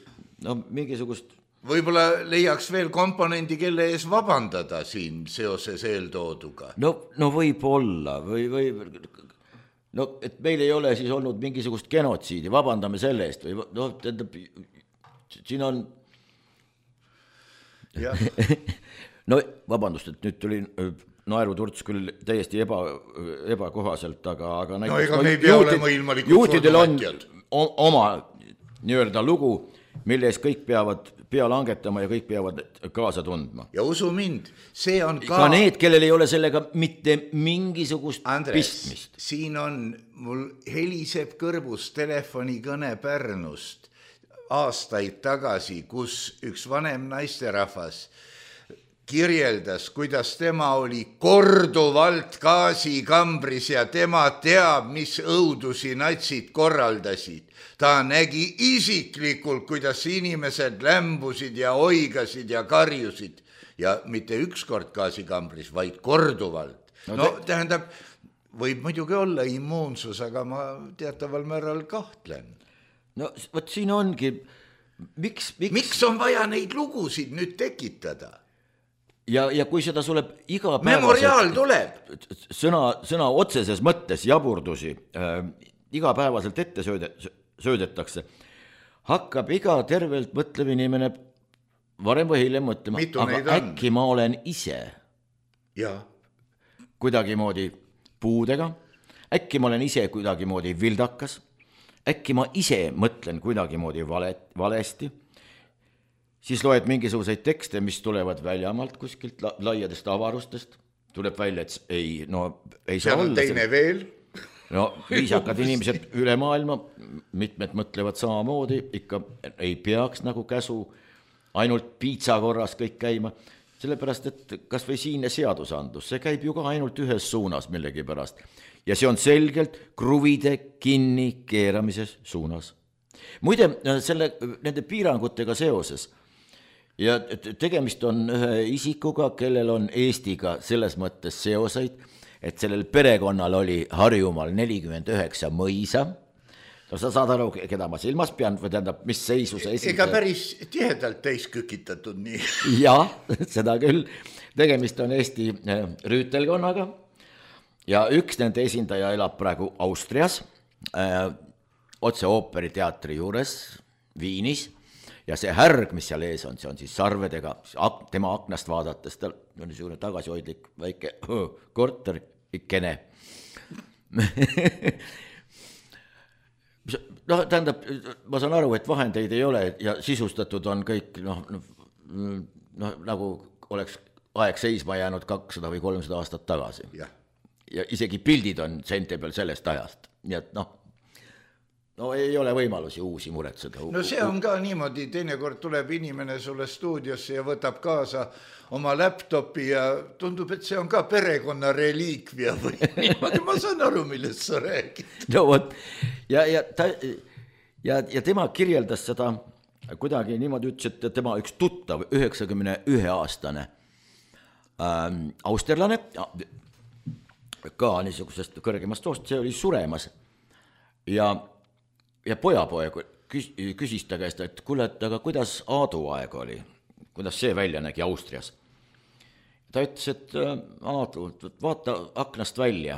no, mingisugust... Võib-olla leiaks veel komponendi, kelle ees vabandada siin seoses eeltooduga. No, no võib olla või, või no, et meil ei ole siis olnud mingisugust genotsiidi, vabandame selle eest või no, tähendab, siin on no vabandust, et nüüd tuli naeruturts küll täiesti eba, ebakohaselt, aga, aga no ega me ei pea olema ilmalikult juutidel on oma nii-öelda lugu, mille ees kõik peavad pea langetama ja kõik peavad kaasa tundma. Ja usu mind, see on ka... Ka need, kellel ei ole sellega mitte mingisugust Andres, pistmist. Siin on, mul heliseb kõrvus telefonikõne Pärnust aastaid tagasi, kus üks vanem naisterahvas kirjeldas, kuidas tema oli korduvalt gaasikambris ja tema teab, mis õudusi natsid korraldasid. Ta nägi isiklikult, kuidas inimesed lämbusid ja oigasid ja karjusid ja mitte ükskord gaasikambris, vaid korduvalt. No, no te... tähendab, võib muidugi olla immuunsus, aga ma teataval määral kahtlen. No võt siin ongi, miks, miks... miks on vaja neid lugusid nüüd tekitada? Ja, ja kui seda sulle iga memoriaal tuleb. Sõna, sõna otseses mõttes jaburdusi äh, igapäevaselt ette sööde, söödetakse, hakkab iga tervelt mõtlev inimene varem või hiljem mõtlema, Mitu aga äkki ma olen ise ja. kuidagimoodi puudega, äkki ma olen ise kuidagimoodi vildakas, äkki ma ise mõtlen kuidagimoodi vale, valesti, siis loed mingisuguseid tekste, mis tulevad väljamaalt kuskilt la, laiadest avarustest, tuleb välja, et ei, no ei saa olla. See on teine see... veel. No viisakad inimesed üle maailma, mitmed mõtlevad samamoodi, ikka ei peaks nagu käsu ainult piitsa korras kõik käima, sellepärast, et kas või siinne seadusandlus, see käib ju ka ainult ühes suunas millegi pärast. Ja see on selgelt kruvide kinni keeramises suunas. Muide, selle, nende piirangutega seoses ja tegemist on ühe isikuga, kellel on Eestiga selles mõttes seoseid, et sellel perekonnal oli Harjumaal nelikümmend üheksa mõisa. No sa saad aru, keda ma silmas pean, või tähendab, mis seisus esindaja. Ega päris tihedalt täis kükitatud nii. Jah, seda küll. Tegemist on Eesti rüütelkonnaga ja üks nende esindaja elab praegu Austrias, äh, otse ooperiteatri juures Viinis. Ja see härg, mis seal ees on, see on siis sarvedega, tema aknast vaadates, tal on niisugune tagasihoidlik väike korter ikkene. No, tähendab, ma saan aru, et vahendeid ei ole ja sisustatud on kõik, noh, noh, nagu oleks aeg seisma jäänud kakssada või kolmsada aastat tagasi. Ja, ja isegi pildid on sente peal sellest ajast, nii et noh, no ei ole võimalusi uusi muretseda. No see on ka niimoodi, teinekord tuleb inimene sulle stuudiosse ja võtab kaasa oma laptopi ja tundub, et see on ka perekonna reliikvia või niimoodi, ma saan aru, millest sa räägid. No vot, ja, ja, ta, ja, ja tema kirjeldas seda kuidagi niimoodi ütles, et tema üks tuttav, üheksakümne ühe aastane ähm, austerlane, ka niisugusest kõrgemast soost, see oli suremas ja, ja pojapoeg küs, küsis ta käest, et kuule, et aga kuidas Aadu aeg oli, kuidas see välja nägi Austrias. Ta ütles, et Aadu, vaata aknast välja,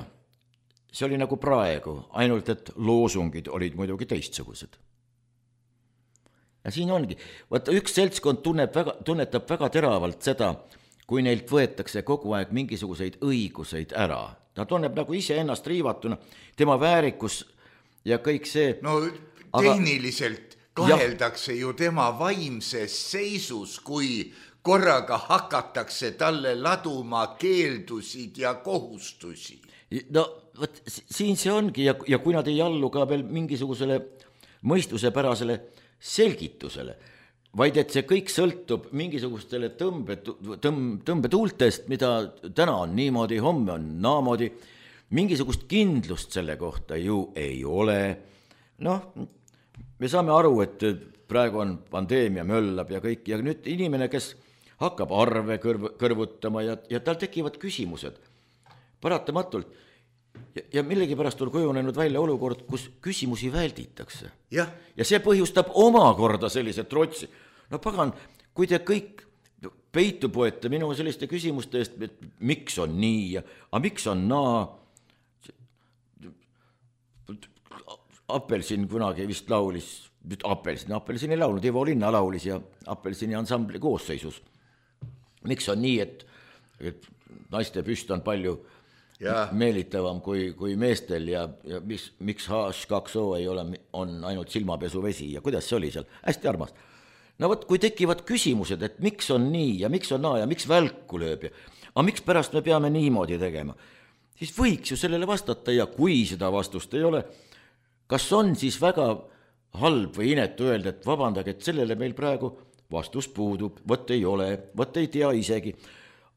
see oli nagu praegu, ainult et loosungid olid muidugi teistsugused. Ja siin ongi, vaata üks seltskond tunneb väga, tunnetab väga teravalt seda, kui neilt võetakse kogu aeg mingisuguseid õiguseid ära. Ta tunneb nagu ise ennast riivatuna, tema väärikus ja kõik see. No tehniliselt aga... kaheldakse ju tema vaimses seisus, kui korraga hakatakse talle laduma keeldusid ja kohustusi. No võt, siin see ongi ja, ja kui nad ei allu ka veel mingisugusele mõistusepärasele selgitusele, vaid et see kõik sõltub mingisugustele tõmbe, tõmb, tõmbetuultest, mida täna on niimoodi, homme on naamoodi, mingisugust kindlust selle kohta ju ei ole. Noh, me saame aru, et praegu on pandeemia möllab ja kõik, ja nüüd inimene, kes hakkab arve kõrv, kõrvutama ja, ja tal tekivad küsimused paratamatult ja, ja millegipärast on kujunenud välja olukord, kus küsimusi välditakse. Ja, ja see põhjustab omakorda sellise trotsi. No pagan, kui te kõik peitu poete minu selliste küsimuste eest, et miks on nii ja aga miks on naa. Apelsin kunagi vist laulis, Apelsin, Apelsin ei laulnud, Ivo Linna laulis ja Apelsini ansambli koosseisus. Miks on nii, et, et naiste püst on palju ja. meelitavam kui, kui meestel ja, ja mis, miks H kaks O ei ole, on ainult silmapesuvesi ja kuidas see oli seal, hästi armas. No võt, kui tekivad küsimused, et miks on nii ja miks on naa ja miks välku lööb ja aga miks pärast me peame niimoodi tegema, siis võiks ju sellele vastata ja kui seda vastust ei ole, kas on siis väga halb või inetu öelda, et vabandage, et sellele meil praegu vastus puudub, võt ei ole, võt ei tea isegi,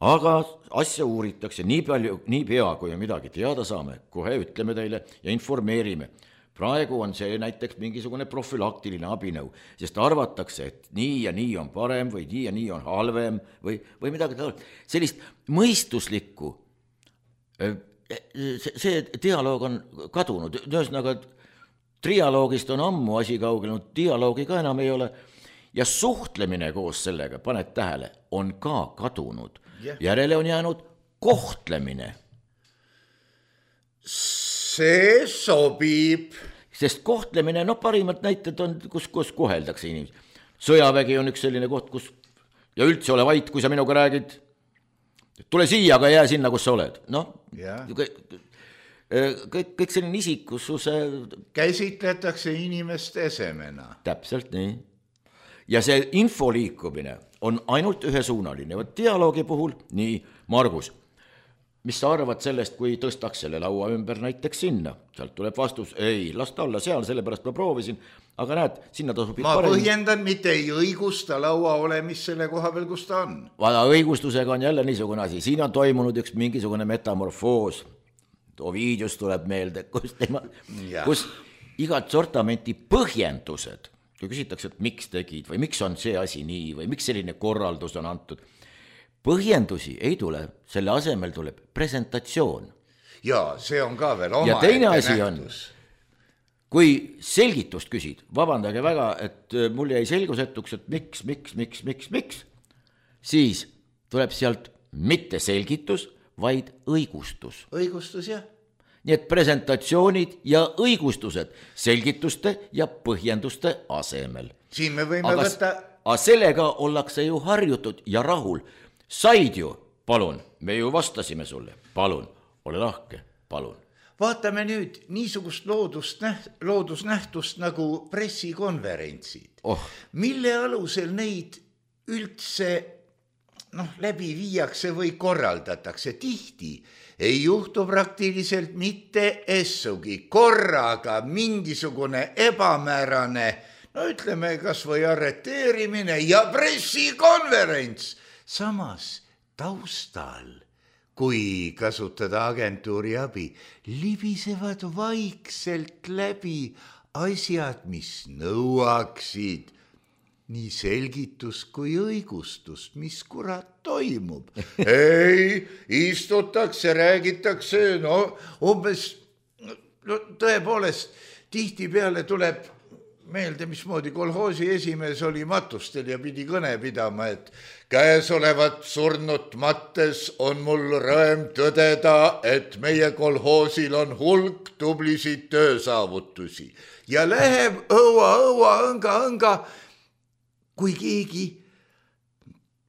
aga asja uuritakse nii palju, nii pea, kui midagi teada saame, kohe ütleme teile ja informeerime. Praegu on see näiteks mingisugune profülaktiline abinõu, sest arvatakse, et nii ja nii on parem või nii ja nii on halvem või, või midagi taolist. Sellist mõistuslikku, see dialoog on kadunud, ühesõnaga trialoogist on ammu asi kaugenud, dialoogi ka enam ei ole ja suhtlemine koos sellega, paned tähele, on ka kadunud. Yeah. Järele on jäänud kohtlemine. See sobib. Sest kohtlemine, no parimad näited on, kus, kus koheldakse inimesi. Sõjavägi on üks selline koht, kus ja üldse ole vait, kui sa minuga räägid. Tule siia, aga jää sinna, kus sa oled. No, yeah. kõik, kõik, kõik selline isikususe käsitletakse inimeste esemena. Täpselt nii. Ja see info liikumine on ainult ühesuunaline. Dialoogi puhul, nii, Margus, mis sa arvad sellest, kui tõstaks selle laua ümber näiteks sinna? Sealt tuleb vastus, ei, las ta olla seal, sellepärast ma proovisin, aga näed, sinna ta sobib ma parem. Põhjendan, mitte ei õigusta laua olemis selle koha peal, kus ta on. Vada õigustusega on jälle niisugune asi. Siin on toimunud üks mingisugune metamorfoos. Ovidius tuleb meelde, kus, tema, kus igat sortamenti põhjendused, kui küsitakse, et miks tegid või miks on see asi nii või miks selline korraldus on antud. Põhjendusi ei tule, selle asemel tuleb presentatsioon. Ja see on ka veel oma ja teine asi on, kui selgitust küsid, vabandage väga, et mul jäi selgusetuks, et miks, miks, miks, miks, miks, siis tuleb sealt mitte selgitus, vaid õigustus. Õigustus, jah. Nii et presentatsioonid ja õigustused selgituste ja põhjenduste asemel. Siin me võime aga, võtta... Aga sellega ollakse ju harjutud ja rahul. Said ju, palun, me ju vastasime sulle, palun, ole lahke, palun. Vaatame nüüd niisugust loodust, loodusnähtust nagu pressikonverentsid, oh. mille alusel neid üldse noh, läbi viiakse või korraldatakse. Tihti ei juhtu praktiliselt mitte essugi, korraga mingisugune ebamäärane, no ütleme kas või arreteerimine ja pressikonverents. Samas taustal, kui kasutada agentuuri abi, libisevad vaikselt läbi asjad, mis nõuaksid nii selgitus kui õigustust, mis kurat toimub. ei, istutakse, räägitakse, no umbes, no tõepoolest, tihtipeale tuleb meelde, mismoodi kolhoosi esimees oli matustel ja pidi kõne pidama, et käesolevat surnut mattes on mul rõõm tõdeda, et meie kolhoosil on hulk tublisid töösaavutusi ja läheb õua, õua, õnga, õnga. Kui keegi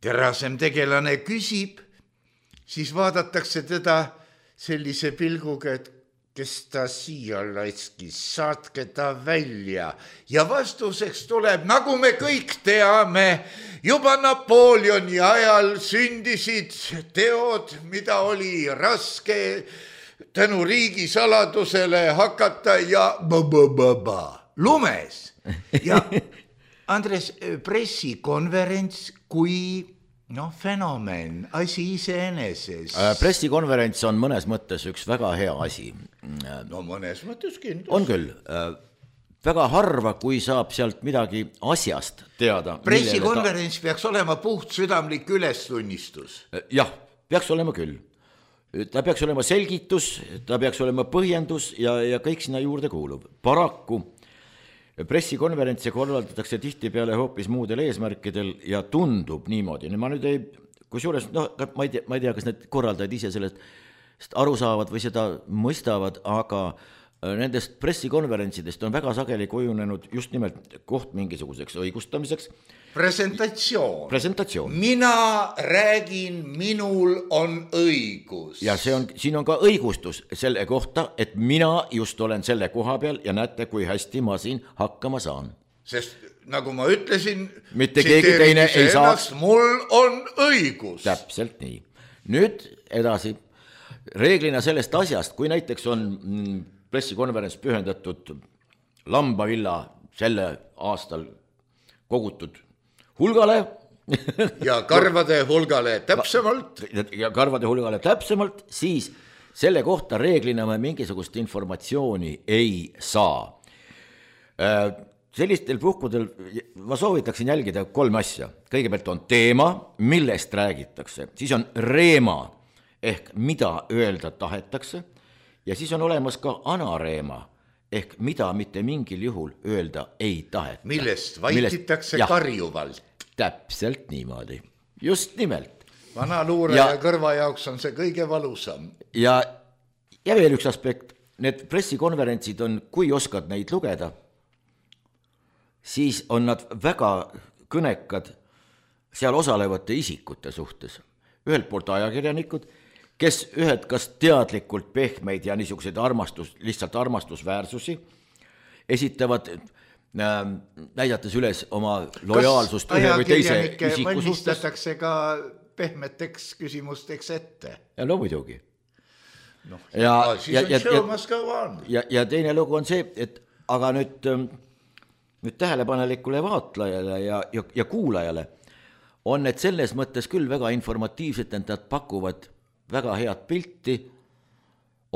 terasem tegelane küsib, siis vaadatakse teda sellise pilguga, et kes ta siia laiskis, saatke ta välja. Ja vastuseks tuleb, nagu me kõik teame, juba Napoleoni ajal sündisid teod, mida oli raske tänu riigi saladusele hakata ja b-b-b-b lumes. Ja Andres, pressikonverents kui noh, fenomen, asi iseeneses. Pressikonverents on mõnes mõttes üks väga hea asi. No mõnes mõttes kindlasti. On küll. Väga harva, kui saab sealt midagi asjast teada. Pressikonverents ta... peaks olema puht südamlik ülestunnistus. Jah, peaks olema küll. Ta peaks olema selgitus, ta peaks olema põhjendus ja, ja kõik sinna juurde kuulub. Paraku pressikonverentse korraldatakse tihti peale hoopis muudel eesmärkidel ja tundub niimoodi. Ma nüüd ei, kus juures, no, ma ei tea, ma ei tea, kas need korraldajad ise sellest aru saavad või seda mõistavad, aga nendest pressikonverentsidest on väga sageli kujunenud just nimelt koht mingisuguseks õigustamiseks. Presentatsioon. Presentatsioon. Mina räägin, minul on õigus. Ja see on, siin on ka õigustus selle kohta, et mina just olen selle koha peal ja näete, kui hästi ma siin hakkama saan. Sest nagu ma ütlesin, mitte keegi teine ei saaks. Mul on õigus. Täpselt nii. Nüüd edasi. Reeglina sellest asjast, kui näiteks on pressikonverents pühendatud Lambavilla selle aastal kogutud hulgale ja karvade hulgale täpsemalt ja karvade hulgale täpsemalt, siis selle kohta reeglina me mingisugust informatsiooni ei saa. Sellistel puhkudel ma soovitaksin jälgida kolm asja. Kõigepealt on teema, millest räägitakse, siis on reema ehk mida öelda tahetakse ja siis on olemas ka anareema ehk mida mitte mingil juhul öelda ei taheta. Millest vaikitakse millest, karjuvalt. Täpselt niimoodi. Just nimelt. Vana luure ja, ja kõrva jaoks on see kõige valusam. Ja, ja veel üks aspekt. Need pressikonverentsid on, kui oskad neid lugeda, siis on nad väga kõnekad seal osalevate isikute suhtes. Ühelt poolt ajakirjanikud, kes ühed kas teadlikult pehmeid ja niisuguseid armastus, lihtsalt armastusväärsusi esitavad, äh, näidates üles oma lojaalsust kas ühe või teise isiku suhtes. Valmistatakse ka pehmeteks küsimusteks ette? Ja no muidugi. No, ja, ja, ja, ja, ja, ja teine lugu on see, et aga nüüd, nüüd tähelepanelikule vaatlejale ja, ja, ja kuulajale on need selles mõttes küll väga informatiivsed, et nad pakuvad väga head pilti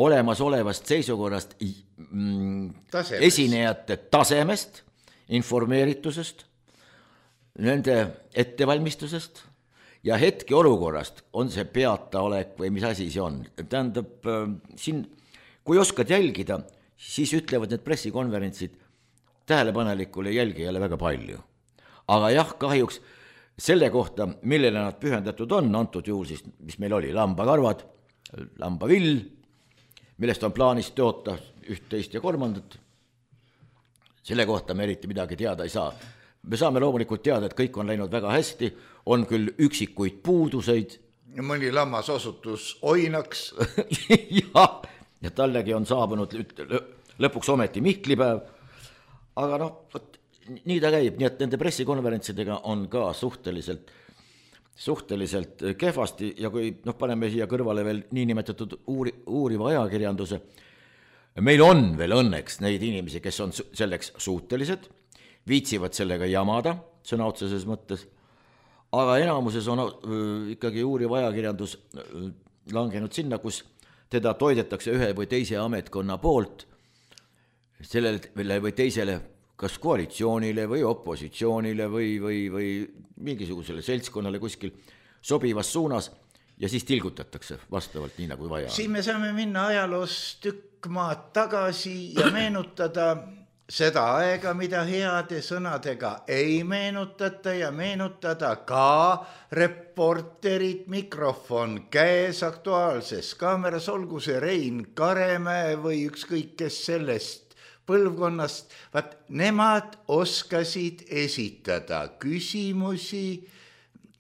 olemasolevast seisukorrast tasemest. Esinejate tasemest, informeeritusest, nende ettevalmistusest ja hetke olukorrast, on see peataolek või mis asi see on. Tähendab, siin, kui oskad jälgida, siis ütlevad need pressikonverentsid tähelepanelikule jälgijale väga palju. Aga jah, kahjuks selle kohta, millele nad pühendatud on, antud juhul siis, mis meil oli, lambakarvad, lambavill, millest on plaanis toota üht, teist ja kolmandat, selle kohta me eriti midagi teada ei saa. Me saame loomulikult teada, et kõik on läinud väga hästi, on küll üksikuid puuduseid. Mõni lammas osutus oinaks. ja, ja tallegi on saabunud lõpuks ometi Mihklipäev, aga noh, võt, nii ta käib, nii et nende pressikonverentsidega on ka suhteliselt, suhteliselt kehvasti ja kui noh, paneme siia kõrvale veel niinimetatud uuri, uuriva ajakirjanduse, meil on veel õnneks neid inimesi, kes on selleks suutelised, viitsivad sellega jamada, sõna otseses mõttes, aga enamuses on ikkagi uuriv ajakirjandus langenud sinna, kus teda toidetakse ühe või teise ametkonna poolt, sellele või teisele kas koalitsioonile või opositsioonile või, või, või mingisugusele seltskonnale kuskil sobivas suunas ja siis tilgutatakse vastavalt nii nagu vaja. Siin me saame minna ajaloos tükk maad tagasi ja meenutada seda aega, mida heade sõnadega ei meenutata ja meenutada ka reporterid, mikrofon käes Aktuaalses kaameras, olgu see Rein Karemäe või ükskõik kes sellest põlvkonnast, vaat nemad oskasid esitada küsimusi,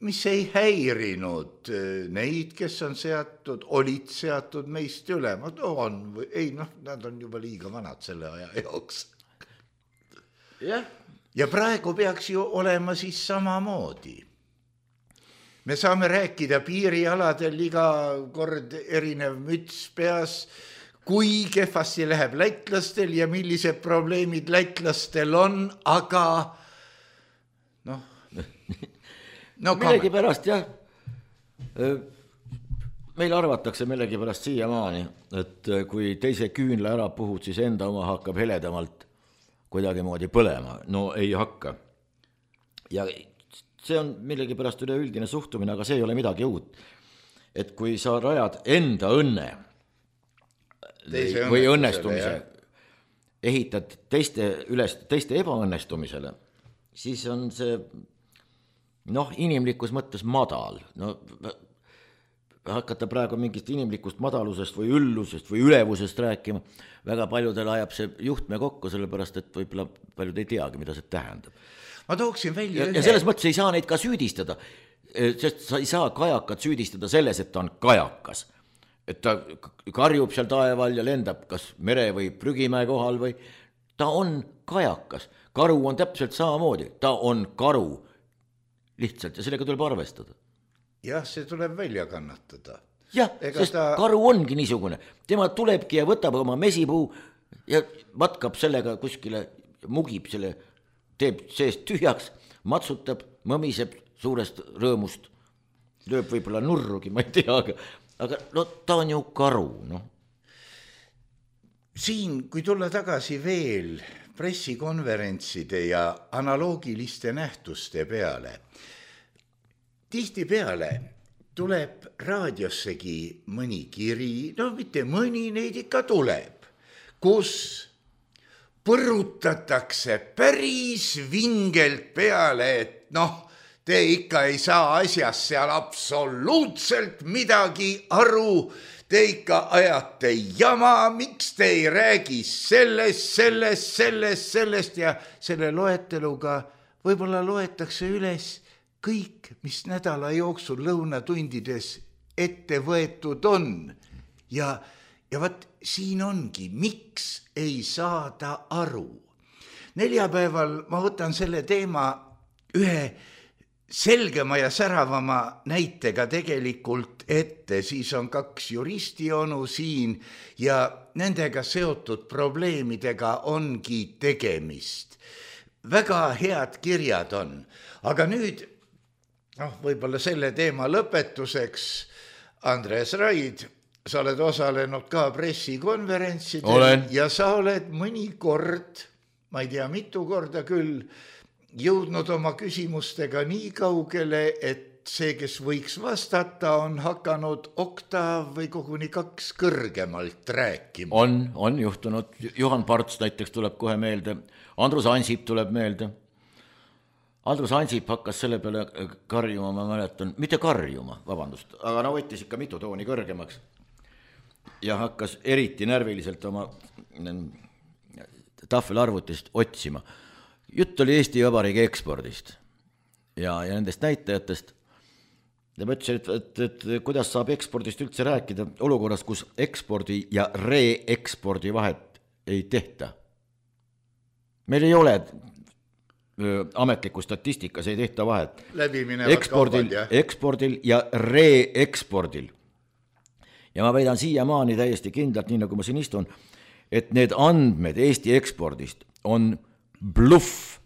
mis ei häirinud neid, kes on seatud, olid seatud meist üle. On, ei, noh, nad on juba liiga vanad selle aja jooks. Ja. ja praegu peaks ju olema siis samamoodi. Me saame rääkida piirialadel iga kord erinev müts peas, kui kehvasti läheb lätlastel ja millised probleemid lätlastel on, aga noh, no millegi pärast jah, meil arvatakse millegi pärast siiamaani, et kui teise küünla ära puhud, siis enda oma hakkab heledamalt kuidagi moodi põlema. No ei hakka. Ja see on millegi pärast üleüldine suhtumine, aga see ei ole midagi uut. Et kui sa rajad enda õnne teise või õnnestumise, ehitad teiste, üles, teiste ebaõnnestumisele, siis on see noh, inimlikus mõttes madal. No, hakata praegu mingist inimlikust madalusest või üllusest või ülevusest rääkima, väga paljudel ajab see juhtme kokku, sellepärast, et võib-olla paljud ei teagi, mida see tähendab. Ma tooksin välja ja, ja selles mõttes ei saa neid ka süüdistada, sest sa ei saa kajakat süüdistada selles, et ta on kajakas. Et ta karjub seal taeval ja lendab kas mere või prügimäe kohal või ta on kajakas. Karu on täpselt samamoodi, ta on karu lihtsalt ja sellega tuleb arvestada. Jah, see tuleb välja kannatada. Jah, Ega sest ta... karu ongi niisugune. Tema tulebki ja võtab oma mesipuu ja matkab sellega kuskile, mugib selle, teeb seest tühjaks, matsutab, mõmiseb suurest rõõmust, lööb võib-olla nurrugi, ma ei tea, aga, aga no, ta on ju karu. No. Siin, kui tulla tagasi veel pressikonverentside ja analoogiliste nähtuste peale, tihti peale tuleb raadiossegi mõni kiri, no mitte mõni, neid ikka tuleb, kus põrutatakse päris vingelt peale, et noh, te ikka ei saa asjast seal absoluutselt midagi aru, te ikka ajate jama, miks te ei räägi sellest, sellest, sellest, sellest ja selle loeteluga võib-olla loetakse üles kõik, mis nädala jooksul lõunatundides ette võetud on. Ja, ja vaat siin ongi, miks ei saada aru. Neljapäeval ma võtan selle teema ühe selgema ja säravama näitega tegelikult ette, siis on kaks juristionu siin ja nendega seotud probleemidega ongi tegemist. Väga head kirjad on, aga nüüd noh, võib-olla selle teema lõpetuseks, Andres Raid, sa oled osalenud ka pressikonverentsidel olen. Ja sa oled mõnikord, ma ei tea mitu korda küll, jõudnud oma küsimustega nii kaugele, et see, kes võiks vastata, on hakanud oktav või koguni kaks kõrgemalt rääkima. On, on juhtunud. Juhan Parts näiteks tuleb kohe meelde. Andrus Ansip tuleb meelde. Andrus Ansip hakkas selle peale karjuma, ma mäletan, mitte karjuma, vabandust, aga no võttis ikka mitu tooni kõrgemaks ja hakkas eriti närviliselt oma tahvelarvutist otsima. Jutt oli Eesti Vabariigi ekspordist ja, ja nendest näitajatest. Ja ma ütlesin, et, et, et kuidas saab ekspordist üldse rääkida olukorras, kus ekspordi ja re-ekspordi vahet ei tehta. Meil ei ole ametliku statistikas, ei tehta vahet. Ekspordil, ekspordil ja re-ekspordil. Ja ma väidan siiamaani täiesti kindlalt, nii nagu ma siin istun, et need andmed Eesti ekspordist on bluff,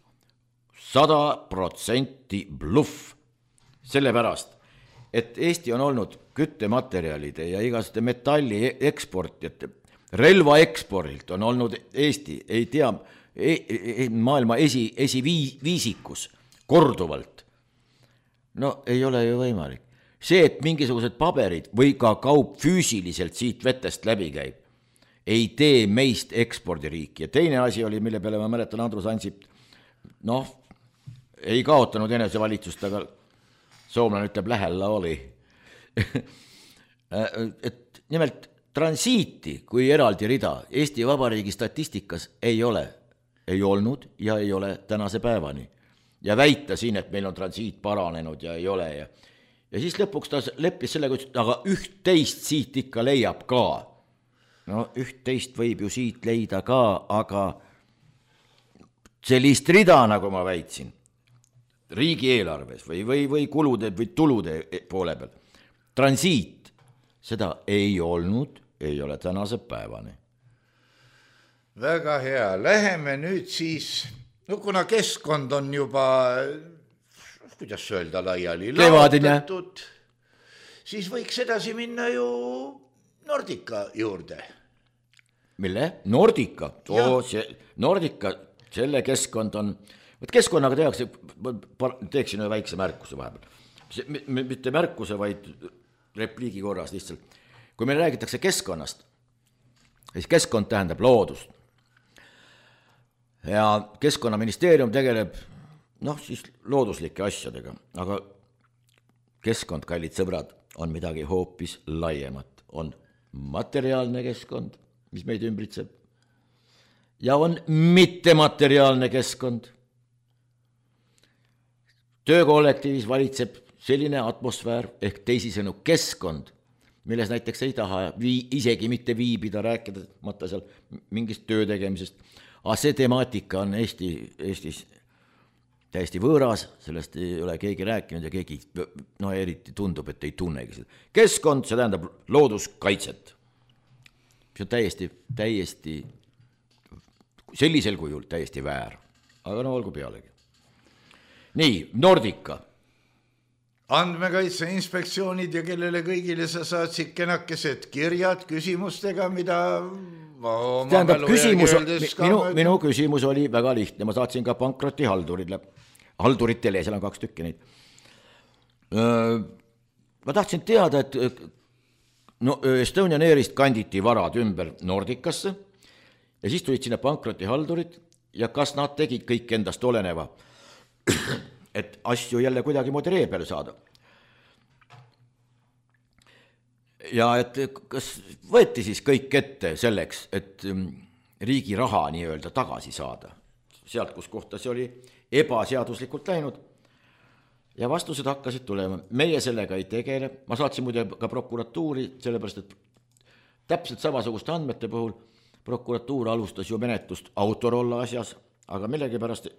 sada protsenti bluff, sellepärast, et Eesti on olnud küttematerjalide ja igaste metalli eksportijate, relva ekspordilt on olnud Eesti, ei tea, maailma esi, esiviisikus korduvalt. No ei ole ju võimalik. See, et mingisugused paberid või ka kaup füüsiliselt siit vetest läbi käib, ei tee meist ekspordiriiki. Ja teine asi oli, mille peale ma mäletan Andrus Ansip, noh, ei kaotanud enesevalitsust, aga soomlane ütleb, lähella oli. Et nimelt transiiti kui eraldi rida Eesti Vabariigi statistikas ei ole, ei olnud ja ei ole tänase päevani. Ja väita siin, et meil on transiit paranenud ja ei ole. Ja, ja siis lõpuks ta leppis sellega, aga üht-teist siit ikka leiab ka. No üht-teist võib ju siit leida ka, aga sellist rida, nagu ma väitsin, riigieelarves või, või, või kulude või tulude poole peal, transiit, seda ei olnud, ei ole tänase päevani. Väga hea, läheme nüüd siis, no kuna keskkond on juba, kuidas öelda, laiali laotatud, siis võiks edasi minna ju Nordica juurde. Mille? Nordica? Oo, see, Nordica, selle keskkond on, võt keskkonnaga tehakse, teeksin ühe väikse märkuse vahepeal. Mitte märkuse, vaid repliigi korras lihtsalt. Kui meil räägitakse keskkonnast, siis keskkond tähendab loodust. Ja Keskkonnaministeerium tegeleb, noh, siis looduslike asjadega, aga keskkond, kallid sõbrad, on midagi hoopis laiemat. On materiaalne keskkond, mis meid ümbritseb, ja on mittemateriaalne keskkond. Töökollektiivis valitseb selline atmosfäär ehk teisisõnu keskkond, milles näiteks ei taha vii, isegi mitte viibida, rääkida mõtta seal mingist töö tegemisest. Aga see temaatika on Eesti, Eestis täiesti võõras, sellest ei ole keegi rääkinud ja keegi, no eriti tundub, et ei tunnegi seda. Keskkond, see tähendab looduskaitset. See on täiesti, täiesti, sellisel kujul täiesti väär. Aga no olgu pealegi. Nii, Nordica. Andmekaitse inspektsioonid ja kellele kõigile sa saatsid kenakesed kirjad küsimustega, mida tähendab, küsimus, minu, minu küsimus oli väga lihtne, ma saatsin ka pankroti haldurile, halduritele, seal on kaks tükki neid. Ma tahtsin teada, et no, Estonian Airist kanditi varad ümber Nordicasse ja siis tulid sinna pankroti haldurid ja kas nad tegid kõik endast oleneva, et asju jälle kuidagi moodi ree peale saada. Ja et kas võeti siis kõik ette selleks, et riigi raha nii-öelda tagasi saada, sealt, kus kohta see oli ebaseaduslikult läinud. Ja vastused hakkasid tulema, meie sellega ei tegele, ma saatsin muide ka prokuratuuri, sellepärast, et täpselt samasuguste andmete puhul prokuratuur alustas ju menetlust Autorolla asjas, aga millegipärast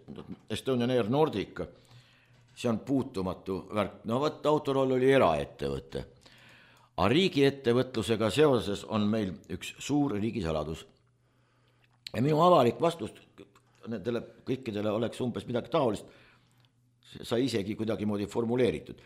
Estonian Air Nordica, see on puutumatu värk, no võtta Autoroll oli eraettevõte. Aga riigi ettevõtlusega seoses on meil üks suur riigisaladus. Ja minu avalik vastus nendele kõikidele oleks umbes midagi taolist, sai isegi kuidagi moodi formuleeritud.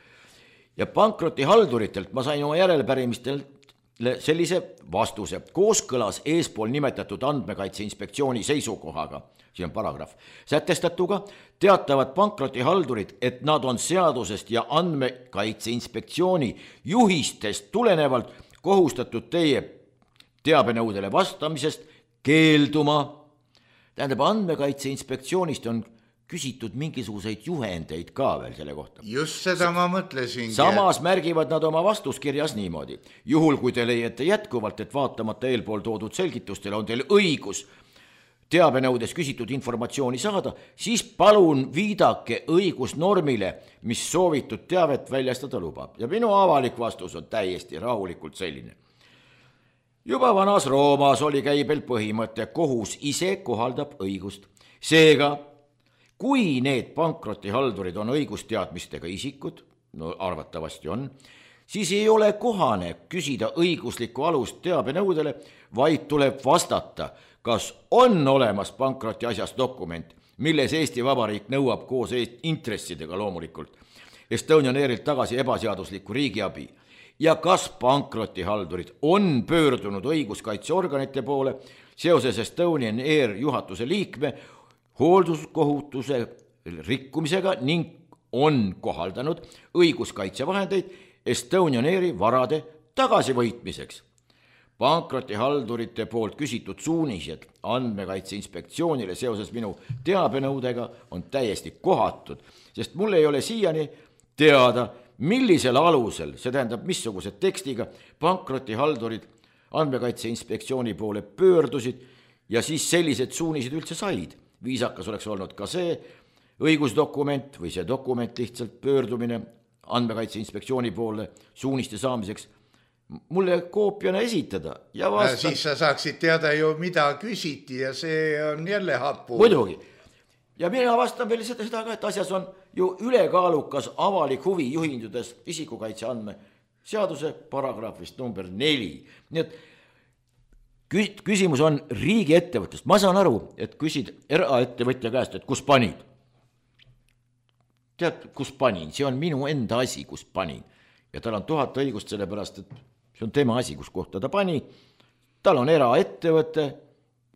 Ja pankroti halduritelt ma sain oma järelpärimistelt sellise vastuse. Kooskõlas eespool nimetatud andmekaitse inspektsiooni seisukohaga, see on paragrahv, sätestatuga teatavad pankroti haldurid, et nad on seadusest ja andmekaitse inspektsiooni juhistest tulenevalt kohustatud teie teabenõudele vastamisest keelduma. Tähendab, andmekaitse inspektsioonist on küsitud mingisuguseid juhendeid ka veel selle kohta. Just seda ma mõtlesin. Samas märgivad nad oma vastuskirjas niimoodi. Juhul, kui te leiate jätkuvalt, et vaatamata eelpool toodud selgitustele on teil õigus teabenõudes küsitud informatsiooni saada, siis palun viidake õigusnormile, mis soovitud teavet väljastada lubab. Ja minu avalik vastus on täiesti rahulikult selline. Juba vanas Roomas oli käibel põhimõte, kohus ise kohaldab õigust. Seega, kui need pankrotihaldurid on õigusteadmistega isikud, no arvatavasti on, siis ei ole kohane küsida õiguslikku alust teabenõudele, vaid tuleb vastata, kas on olemas pankroti asjas dokument, milles Eesti Vabariik nõuab koos intressidega loomulikult Estonian Airilt tagasi ebaseaduslikku riigiabi ja kas pankrotihaldurid on pöördunud õiguskaitseorganite poole seoses Estonian Air juhatuse liikme hoolduskohutuse rikkumisega ning on kohaldanud õiguskaitsevahendeid Estonian Airi varade tagasivõitmiseks. Pankrotihaldurite poolt küsitud suunised andmekaitse inspektsioonile seoses minu teabenõudega on täiesti kohatud, sest mul ei ole siiani teada, millisel alusel, see tähendab missuguse tekstiga pankrotihaldurid andmekaitse inspektsiooni poole pöördusid ja siis sellised suunised üldse said. Viisakas oleks olnud ka see õigusdokument või see dokument lihtsalt pöördumine andmekaitse inspektsiooni poole suuniste saamiseks mulle koopiana esitada ja vasta... Siis sa saaksid teada ju, mida küsiti ja see on jälle hapu. Muidugi. Ja mina vastan veel seda, seda ka, et asjas on ju ülekaalukas avalik huvi juhindudes isikukaitse andme seaduse paragrahvist number neli. Nii et küsimus on riigi ettevõttest. Ma saan aru, et küsid eraettevõtja käest, et kus panid. Tead, kus panin? See on minu enda asi, kus panin. Ja tal on tuhat õigust selle pärast, et see on tema asi, kus kohta ta pani. Tal on eraettevõte,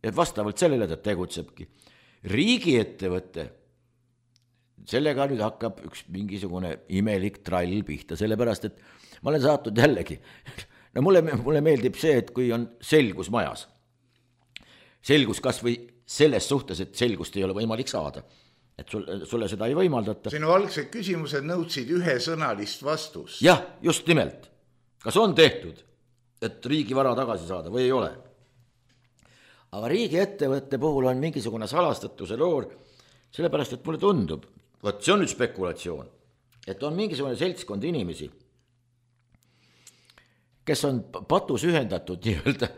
et vastavalt sellele ta tegutsebki. Riigi ettevõte, sellega nüüd hakkab üks mingisugune imelik trall pihta, sellepärast, et ma olen saatnud jällegi. No mulle, mulle meeldib see, et kui on selgus majas. Selgus kas või selles suhtes, et selgust ei ole võimalik saada. Et sulle, sulle seda ei võimaldata. Sinu algsed küsimused nõudsid ühesõnalist vastust. Jah, just nimelt. Kas on tehtud, et riigi vara tagasi saada või ei ole? Aga riigi ettevõtte puhul on mingisugune salastatuse loor, sellepärast, et mulle tundub, võt see on nüüd spekulatsioon, et on mingisugune seltskond inimesi, kes on patus ühendatud nii-öelda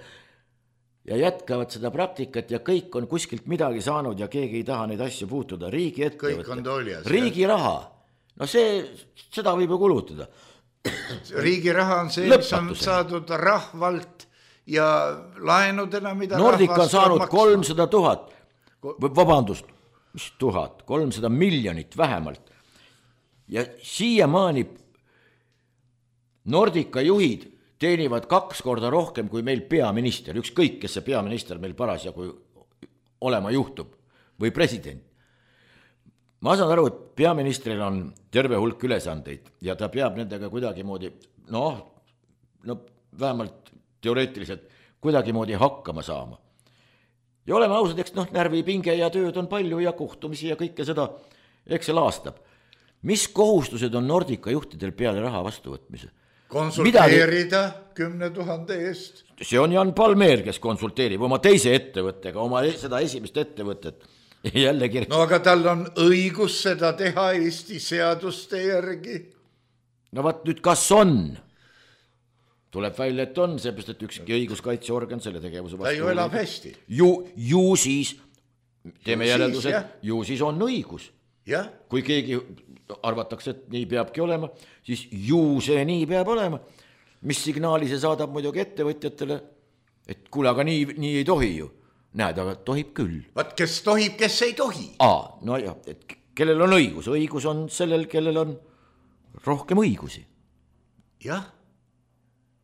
ja jätkavad seda praktikat ja kõik on kuskilt midagi saanud ja keegi ei taha neid asju puutuda. Riigi ettevõtte, riigi raha, no see, seda võib ju kulutada. Riigi raha on see, mis on saadud rahvalt ja laenudena, mida Nordica on saanud kolmsada tuhat, vabandust, mis tuhat, kolmsada miljonit vähemalt. Ja siiamaani Nordica juhid teenivad kaks korda rohkem kui meil peaminister, ükskõik, kes see peaminister meil parasjagu olema juhtub või president. Ma saan aru, et peaministril on terve hulk ülesandeid ja ta peab nendega kuidagimoodi, noh, no vähemalt teoreetiliselt kuidagimoodi hakkama saama. Ja oleme ausad, eks noh, närvipinge ja tööd on palju ja kohtumisi ja kõike seda, eks see laastab. Mis kohustused on Nordica juhtidel peale raha vastuvõtmise? Konsulteerida kümne tuhande eest. See on Jan Palmeer, kes konsulteerib oma teise ettevõttega, oma seda esimest ettevõtet. Jälle kirja. No aga tal on õigus seda teha Eesti seaduste järgi. No vaat nüüd kas on? Tuleb välja, et on, seepärast, et ükski õiguskaitseorgan selle tegevuse vastu. Ta ju elab hästi. Ju, ju siis, teeme järelduse, ju siis on õigus. Ja? Kui keegi arvatakse, et nii peabki olema, siis ju see nii peab olema. Mis signaali see saadab muidugi ettevõtjatele, et kuule, aga nii, nii ei tohi ju. Näed, aga tohib küll. Vaat kes tohib, kes ei tohi. Aa, no jah, et kellel on õigus? Õigus on sellel, kellel on rohkem õigusi. Jah.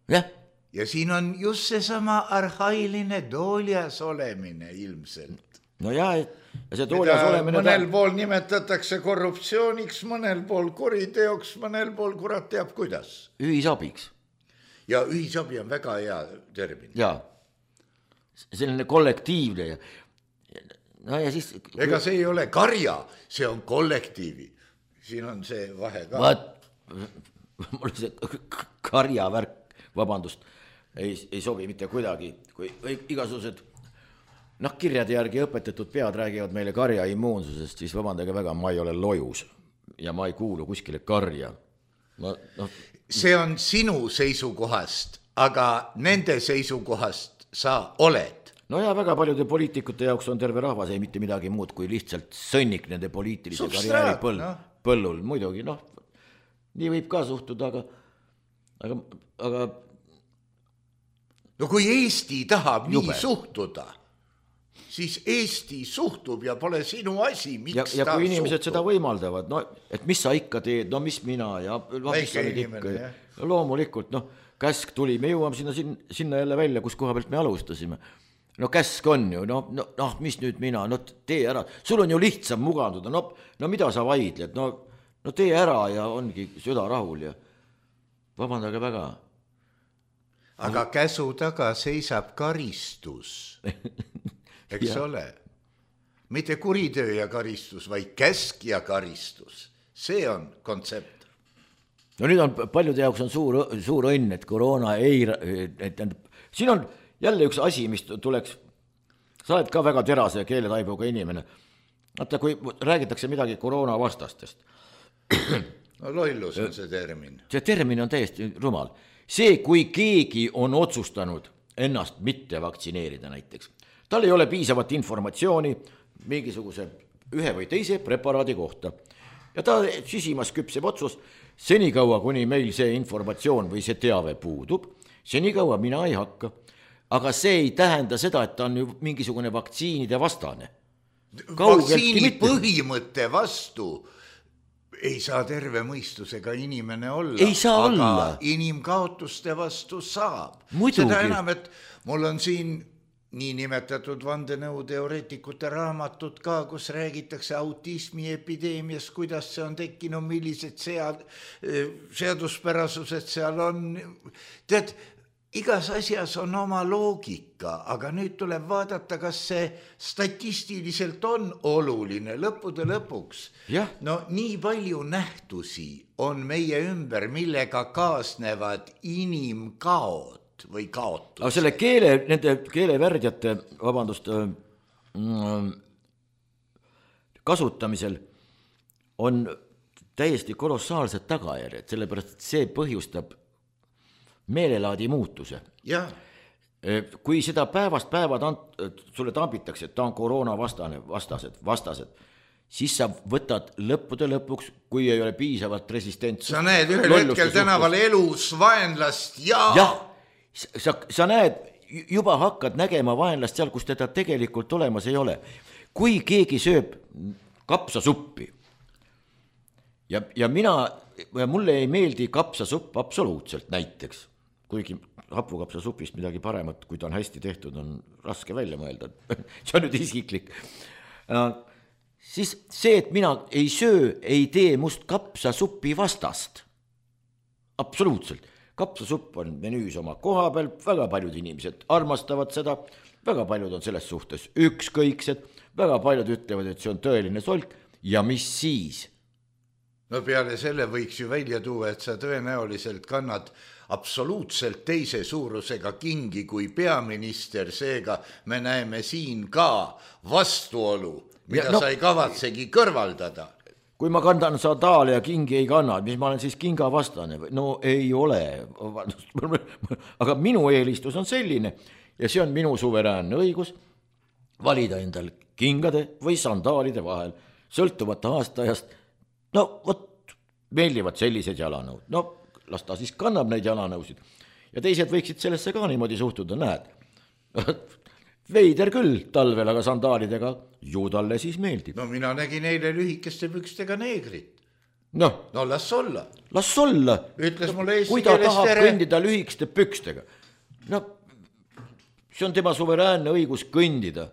Jah. Ja siin on just seesama arhailine tooljas olemine ilmselt. No jah, ja see tooljas olemine... Mõnel ta... pool nimetatakse korruptsiooniks, mõnel pool kuriteoks, mõnel pool kurat teab kuidas. Ühisabiks. Ja ühisabi on väga hea termin. Jaa. Selline kollektiivne ja, no ja siis... Ega see ei ole karja, see on kollektiivi. Siin on see vahe ka. Vaat, mul see karja värk, vabandust, ei, ei sobi mitte kuidagi, kui igasugused noh, kirjade järgi õpetatud pead räägivad meile karja immuunsusest, siis vabandage väga, ma ei ole lojus ja ma ei kuulu kuskile karja. Ma, no... See on sinu seisukohast, aga nende seisukohast sa oled. No ja väga paljude poliitikute jaoks on terve rahvas ei mitte midagi muud kui lihtsalt sõnnik nende poliitilise karjääri põll, no. põllul. Muidugi, noh, nii võib ka suhtuda, aga, aga, aga... No kui Eesti tahab jube. Nii suhtuda, siis Eesti suhtub ja pole sinu asi, miks ja, ja ta kui inimesed suhtub. Seda võimaldavad, no, et mis sa ikka teed, no mis mina ja väike inimene, jah. No, loomulikult, noh, käsk tuli, me jõuame sinna, sinna jälle välja, kus koha pealt me alustasime. no käsk on ju, no, no, no mis nüüd mina, no tee ära, sul on ju lihtsam muganduda, no, no mida sa vaidled, no, no tee ära ja ongi süda rahul ja vabandage väga. aga käsu taga seisab karistus, eks ole, mitte kuritöö ja karistus, vaid käsk ja karistus, see on kontsept. no nüüd on paljude jaoks on suur, suur õnn, et koroona ei, et siin on jälle üks asi, mis tuleks, sa oled ka väga terase keeletaibuga inimene, vaata kui räägitakse midagi koroona vastastest. no lollus on see termin. See termin on täiesti rumal. See, kui keegi on otsustanud ennast mitte vaktsineerida näiteks, tal ei ole piisavat informatsiooni mingisuguse ühe või teise preparaadi kohta ja ta sisimas küpseb otsus, senikaua kuni meil see informatsioon või see teave puudub, senikaua mina ei hakka. Aga see ei tähenda seda, et ta on ju mingisugune vaktsiinide vastane. Vaktsiini põhimõtte vastu ei saa terve mõistusega inimene olla, ei saa aga olla. Inimkaotuste vastu saab. Muidugi. Seda enam, et mul on siin niinimetatud vandenõuteoreetikute raamatud ka, kus räägitakse autismi epideemiast, kuidas see on tekkinud, millised sead, seaduspärasused seal on. Tead, igas asjas on oma loogika, aga nüüd tuleb vaadata, kas see statistiliselt on oluline lõppude lõpuks. Ja. No nii palju nähtusi on meie ümber, millega kaasnevad inimkaod või kaotus. Aga selle keele, nende keelevärdjate, vabandust, kasutamisel on täiesti kolossaalsed tagajärjed, sellepärast et see põhjustab meelelaadi muutuse. Ja. Kui seda päevast päeva tant, sulle tambitakse, et ta on koroona vastane, vastased, vastased, siis sa võtad lõppude lõpuks, kui ei ole piisavalt resistentsust. Sa näed ühel hetkel tänaval elus vaenlast ja... Jah, sa, sa näed, juba hakkad nägema vaenlast seal, kus teda tegelikult olemas ei ole. Kui keegi sööb kapsasuppi ja, ja mina, ja mulle ei meeldi kapsasupp absoluutselt näiteks, kuigi hapukapsasupist midagi paremat, kui ta on hästi tehtud, on raske välja mõelda. See on nüüd isiklik. Siis see, et mina ei söö, ei tee must kapsasuppi vastast. Absoluutselt. Kapsasupp on menüüs oma koha peal, väga paljud inimesed armastavad seda, väga paljud on selles suhtes ükskõiksed, väga paljud ütlevad, et see on tõeline solk ja mis siis? No peale selle võiks ju välja tuua, et sa tõenäoliselt kannad absoluutselt teise suurusega kingi kui peaminister, seega me näeme siin ka vastuolu, mida ja, no, sa ei kavatsegi kõrvaldada. Kui ma kandan sandaale ja kingi ei kanna, mis ma olen siis kinga vastane? No ei ole, aga minu eelistus on selline ja see on minu suveräänne õigus valida endal kingade või sandaalide vahel, sõltuvata aastajast. No vot, meeldivad sellised jalanõud. No las ta siis kannab neid jalanõusid. Ja teised võiksid sellesse ka niimoodi suhtuda, näed. Veider küll talvel, aga sandaalidega ju talle siis meeldib. No mina nägin eile lühikeste pükstega neegrit. No, no las olla. Las olla. Ütles mulle eesti kui ta keeles tahab tere. Kõndida lühikeste pükstega. No, see on tema suveräänne õigus kõndida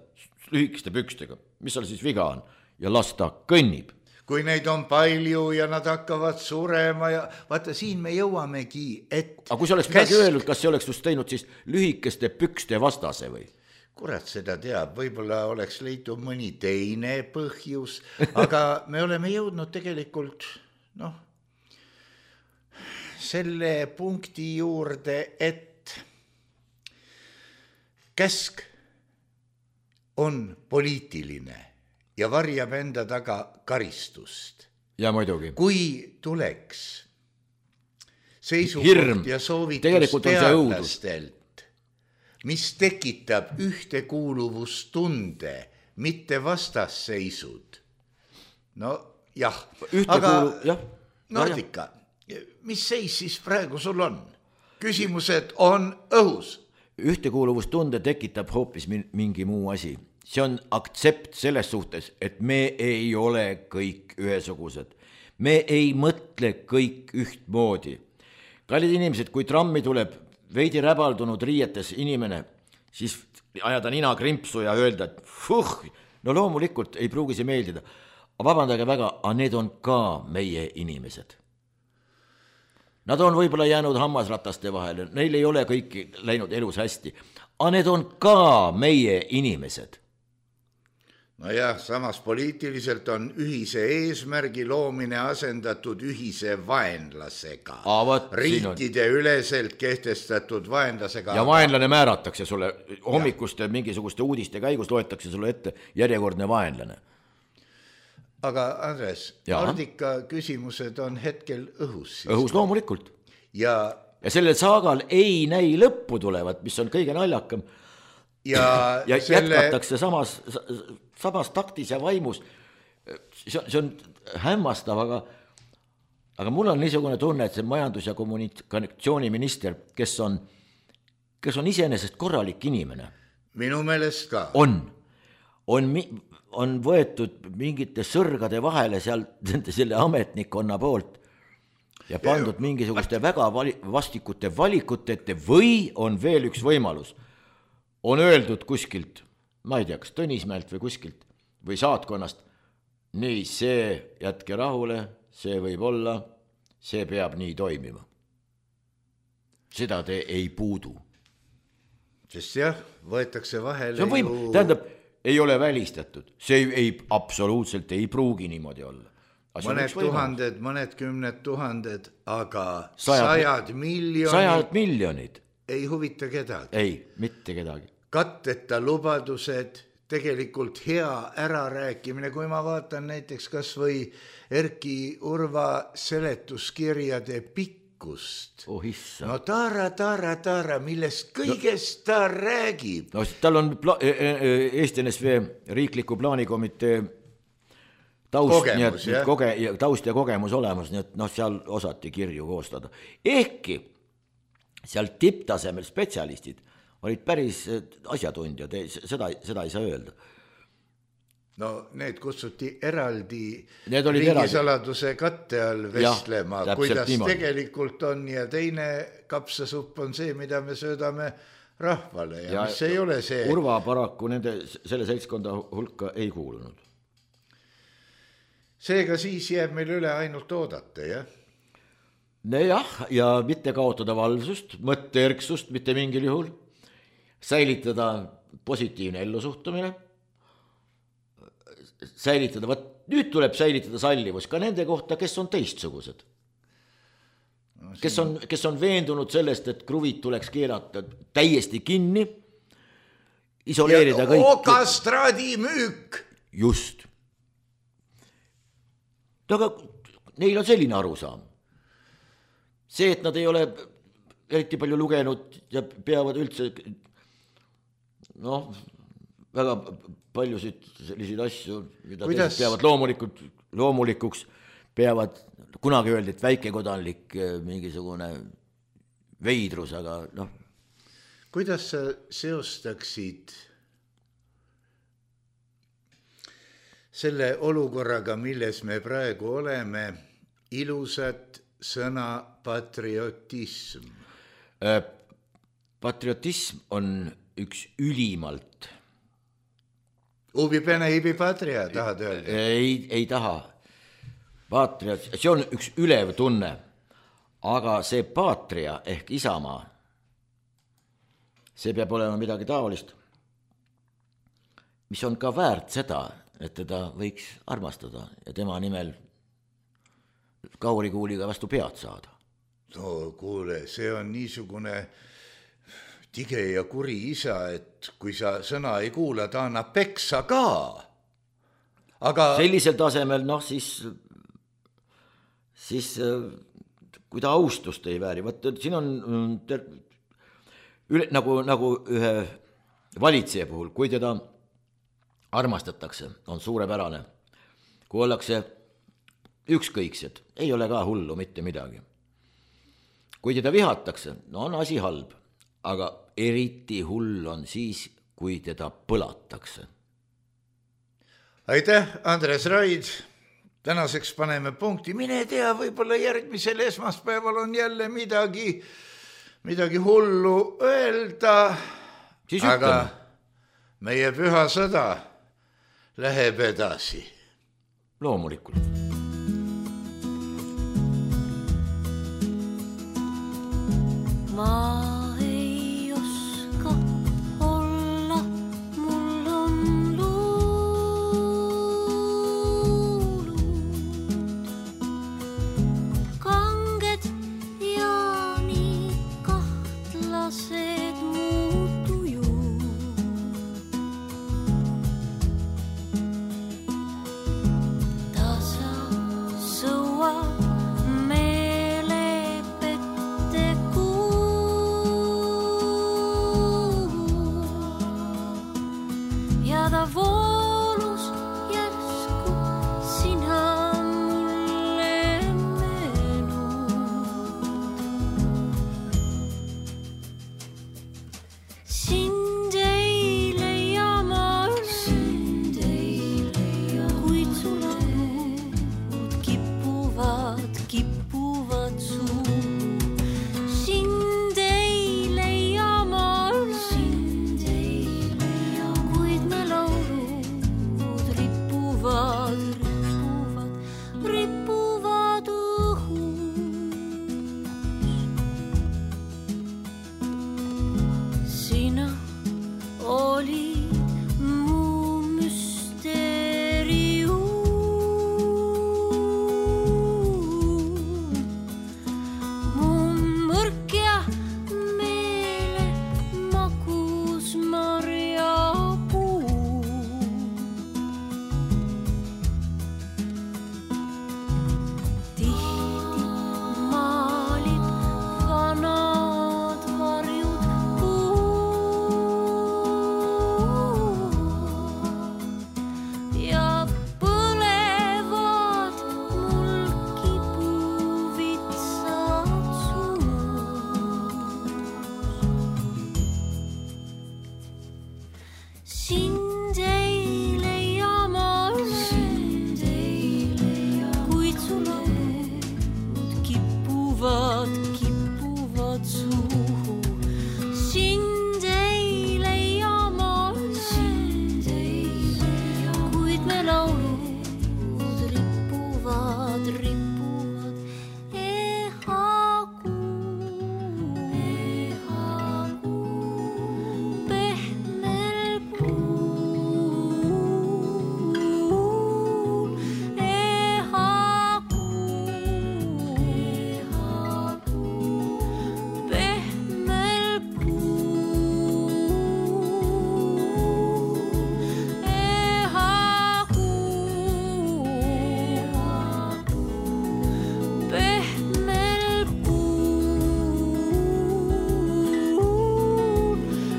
lühikeste pükstega. Mis seal siis viga on? Ja las ta kõnnib. Kui neid on palju ja nad hakkavad surema ja vaata, siin me jõuamegi, et... Aga kui sa oleks midagi öelnud, kas see oleks just teinud siis lühikeste pükste vastase või? Kurat seda teab, võib-olla oleks leitud mõni teine põhjus, aga me oleme jõudnud tegelikult, noh, selle punkti juurde, et käsk on poliitiline ja varjab enda taga karistust. Ja muidugi. Kui tuleks seisukoht Hirm. Ja soovitus teadlastelt, mis tekitab ühtekuuluvustunde, mitte vastasseisud. No jah, aga jah. Nordika, mis seis siis praegu sul on? Küsimused on õhus. Ühtekuuluvustunde tekitab hoopis mingi muu asi. See on aktsept selles suhtes, et me ei ole kõik ühesugused. Me ei mõtle kõik ühtmoodi. Kallid inimesed, kui trammi tuleb veidi räbaldunud riietes inimene, siis ajada nina krimpsu ja öelda, et fuh, no loomulikult ei pruugi see meeldida. Vabandage väga, aga need on ka meie inimesed. Nad on võib-olla jäänud hammasrataste vahele, neil ei ole kõiki läinud elus hästi, aga need on ka meie inimesed. No jah, samas poliitiliselt on ühise eesmärgi loomine asendatud ühise vaenlasega. Võt, riikide on... üleselt kehtestatud vaenlasega. Ja vaenlane määratakse sulle, hommikuste ja. mingisuguste uudiste käigus loetakse sulle ette järjekordne vaenlane. Aga Andres, ja. Nordica küsimused on hetkel õhus. Siis. Õhus loomulikult. Ja, ja sellel saagal ei näi lõppu tulevat, mis on kõige naljakam. Ja, ja selle... jätkatakse samas, samas taktis ja vaimus. See on, see on hämmastav, aga, aga mul on niisugune tunne, et see majandus- ja kommunikatsiooniminister, kes on, kes on iseenesest korralik inimene. Minu meelest ka. On, on mi- on võetud mingite sõrgade vahele seal selle ametnikkonna poolt ja pandud ja, mingisuguste väga vali, vastikute valikute ette või on veel üks võimalus. On öeldud kuskilt, ma ei tea, kas Tõnismäelt või kuskilt või saatkonnast, nii see jätke rahule, see võib olla, see peab nii toimima. Seda te ei puudu. Sest jah, võetakse vahele see on võim, ju... tähendab, ei ole välistatud, see ei, absoluutselt ei pruugi niimoodi olla. Mõned tuhanded, mõned kümned tuhanded, aga sajad, sajad miljonid, sajad miljonid ei huvita kedagi. Ei, mitte kedagi. Katteta lubadused, tegelikult hea ärarääkimine, kui ma vaatan näiteks kas või Erki Urva seletuskirjade pikk, Oh, no taara, taara, taara, millest kõigest no, ta räägib. No, tal on pla- Eesti N S V riikliku plaanikomitee taust, kogemus, nii et, koge, taust ja kogemus olemas, nii et noh, seal osati kirju koostada. Ehkki seal tipptasemel spetsialistid olid päris asjatundjad, seda, seda ei saa öelda. No need kutsuti eraldi riigisaladuse katte all vestlema, ja, kuidas niimoodi tegelikult on ja teine kapsasupp on see, mida me söödame rahvale ja, ja mis ei ole see. Urva paraku nende, selle seltskonda hulka ei kuulunud. Seega siis jääb meil üle ainult oodata, jah? No jah, ja mitte kaotada valvsust, mõtteerksust, mitte mingil juhul, säilitada positiivne ellusuhtumine, säilitada, võt, nüüd tuleb säilitada sallivus ka nende kohta, kes on teistsugused. No, siin... kes, on, kes on veendunud sellest, et kruvid tuleks keerata täiesti kinni, isoleerida ja kõik. Okastraadi müük! Just. Aga neil on selline arusaam. See, et nad ei ole eriti palju lugenud ja peavad üldse noh, väga paljusid selliseid asju, mida Kuidas? teised peavad loomulikult, loomulikuks, peavad, kunagi öeldi, et väikekodanlik mingisugune veidrus, aga noh. Kuidas sa seostaksid selle olukorraga, milles me praegu oleme, ilusat sõna patriotism? Patriotism on üks ülimalt Ubi pene ibi patria, tahad öelda? Ei, ei taha. Patriot, see on üks ülev tunne, aga see patria ehk isamaa, see peab olema midagi taolist, mis on ka väärt seda, et teda võiks armastada ja tema nimel kaurikuuliga vastu pead saada. No kuule, see on niisugune tige ja kuri isa, et kui sa sõna ei kuula, ta annab peksa ka. Aga... sellisel tasemel, noh siis, siis kui ta austust ei vääri, võt, siin on ter... üle, nagu, nagu ühe valitseja puhul, kui teda armastatakse, on suurepärane. Kui ollakse ükskõiksed, ei ole ka hullu mitte midagi. Kui teda vihatakse, no on asi halb. Aga eriti hull on siis, kui teda põlatakse. Aitäh, Andres Raid. Tänaseks paneme punkti. Mine tea, võib-olla järgmisel esmaspäeval on jälle midagi, midagi hullu öelda. siis aga ütleme. Meie püha sõda läheb edasi. Loomulikult. Ma ei oska olla, mul on luulud kanged ja nii kahtlased muutujud. Tasa sõua ta voolus järsku sina mulle menud. Sind ei leia ma üle, kuid su laud kippuvad, kippuvad suhu. Sind ei leia ma üle, rippuvad, rippuvad õhus. Sina olid mu müsteerium, mu mõrk ja meele magus marja. Sind ei leia ma üle, kuid su laud kippuvad, kippuvad suhu. Sind ei leia ma üle, kuid me laulud rippuvad, rippuvad ehagu, ehagu pehmel puul, ehagu, ehagu pehmel puul, ehagu, ehagu pehmel puul,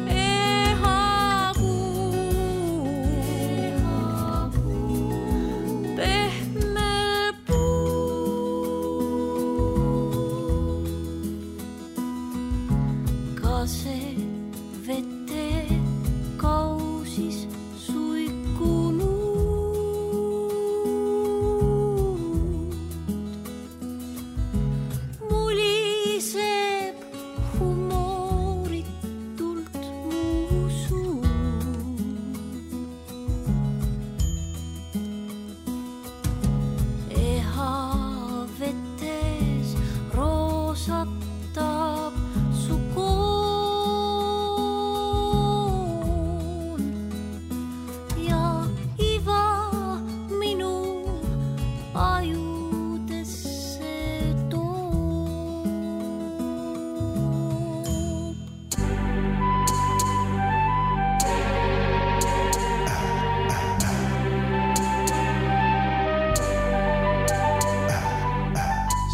ehagu, ehagu pehmel puul. Ka see vete kausis suikunud muliseb humooritult mu suu. Eha vetes roosatab su koon ja iva minu ajudesse toob.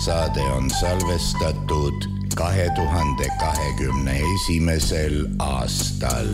Saade on salvestatud kahe tuhande kahekümne esimesel aastal.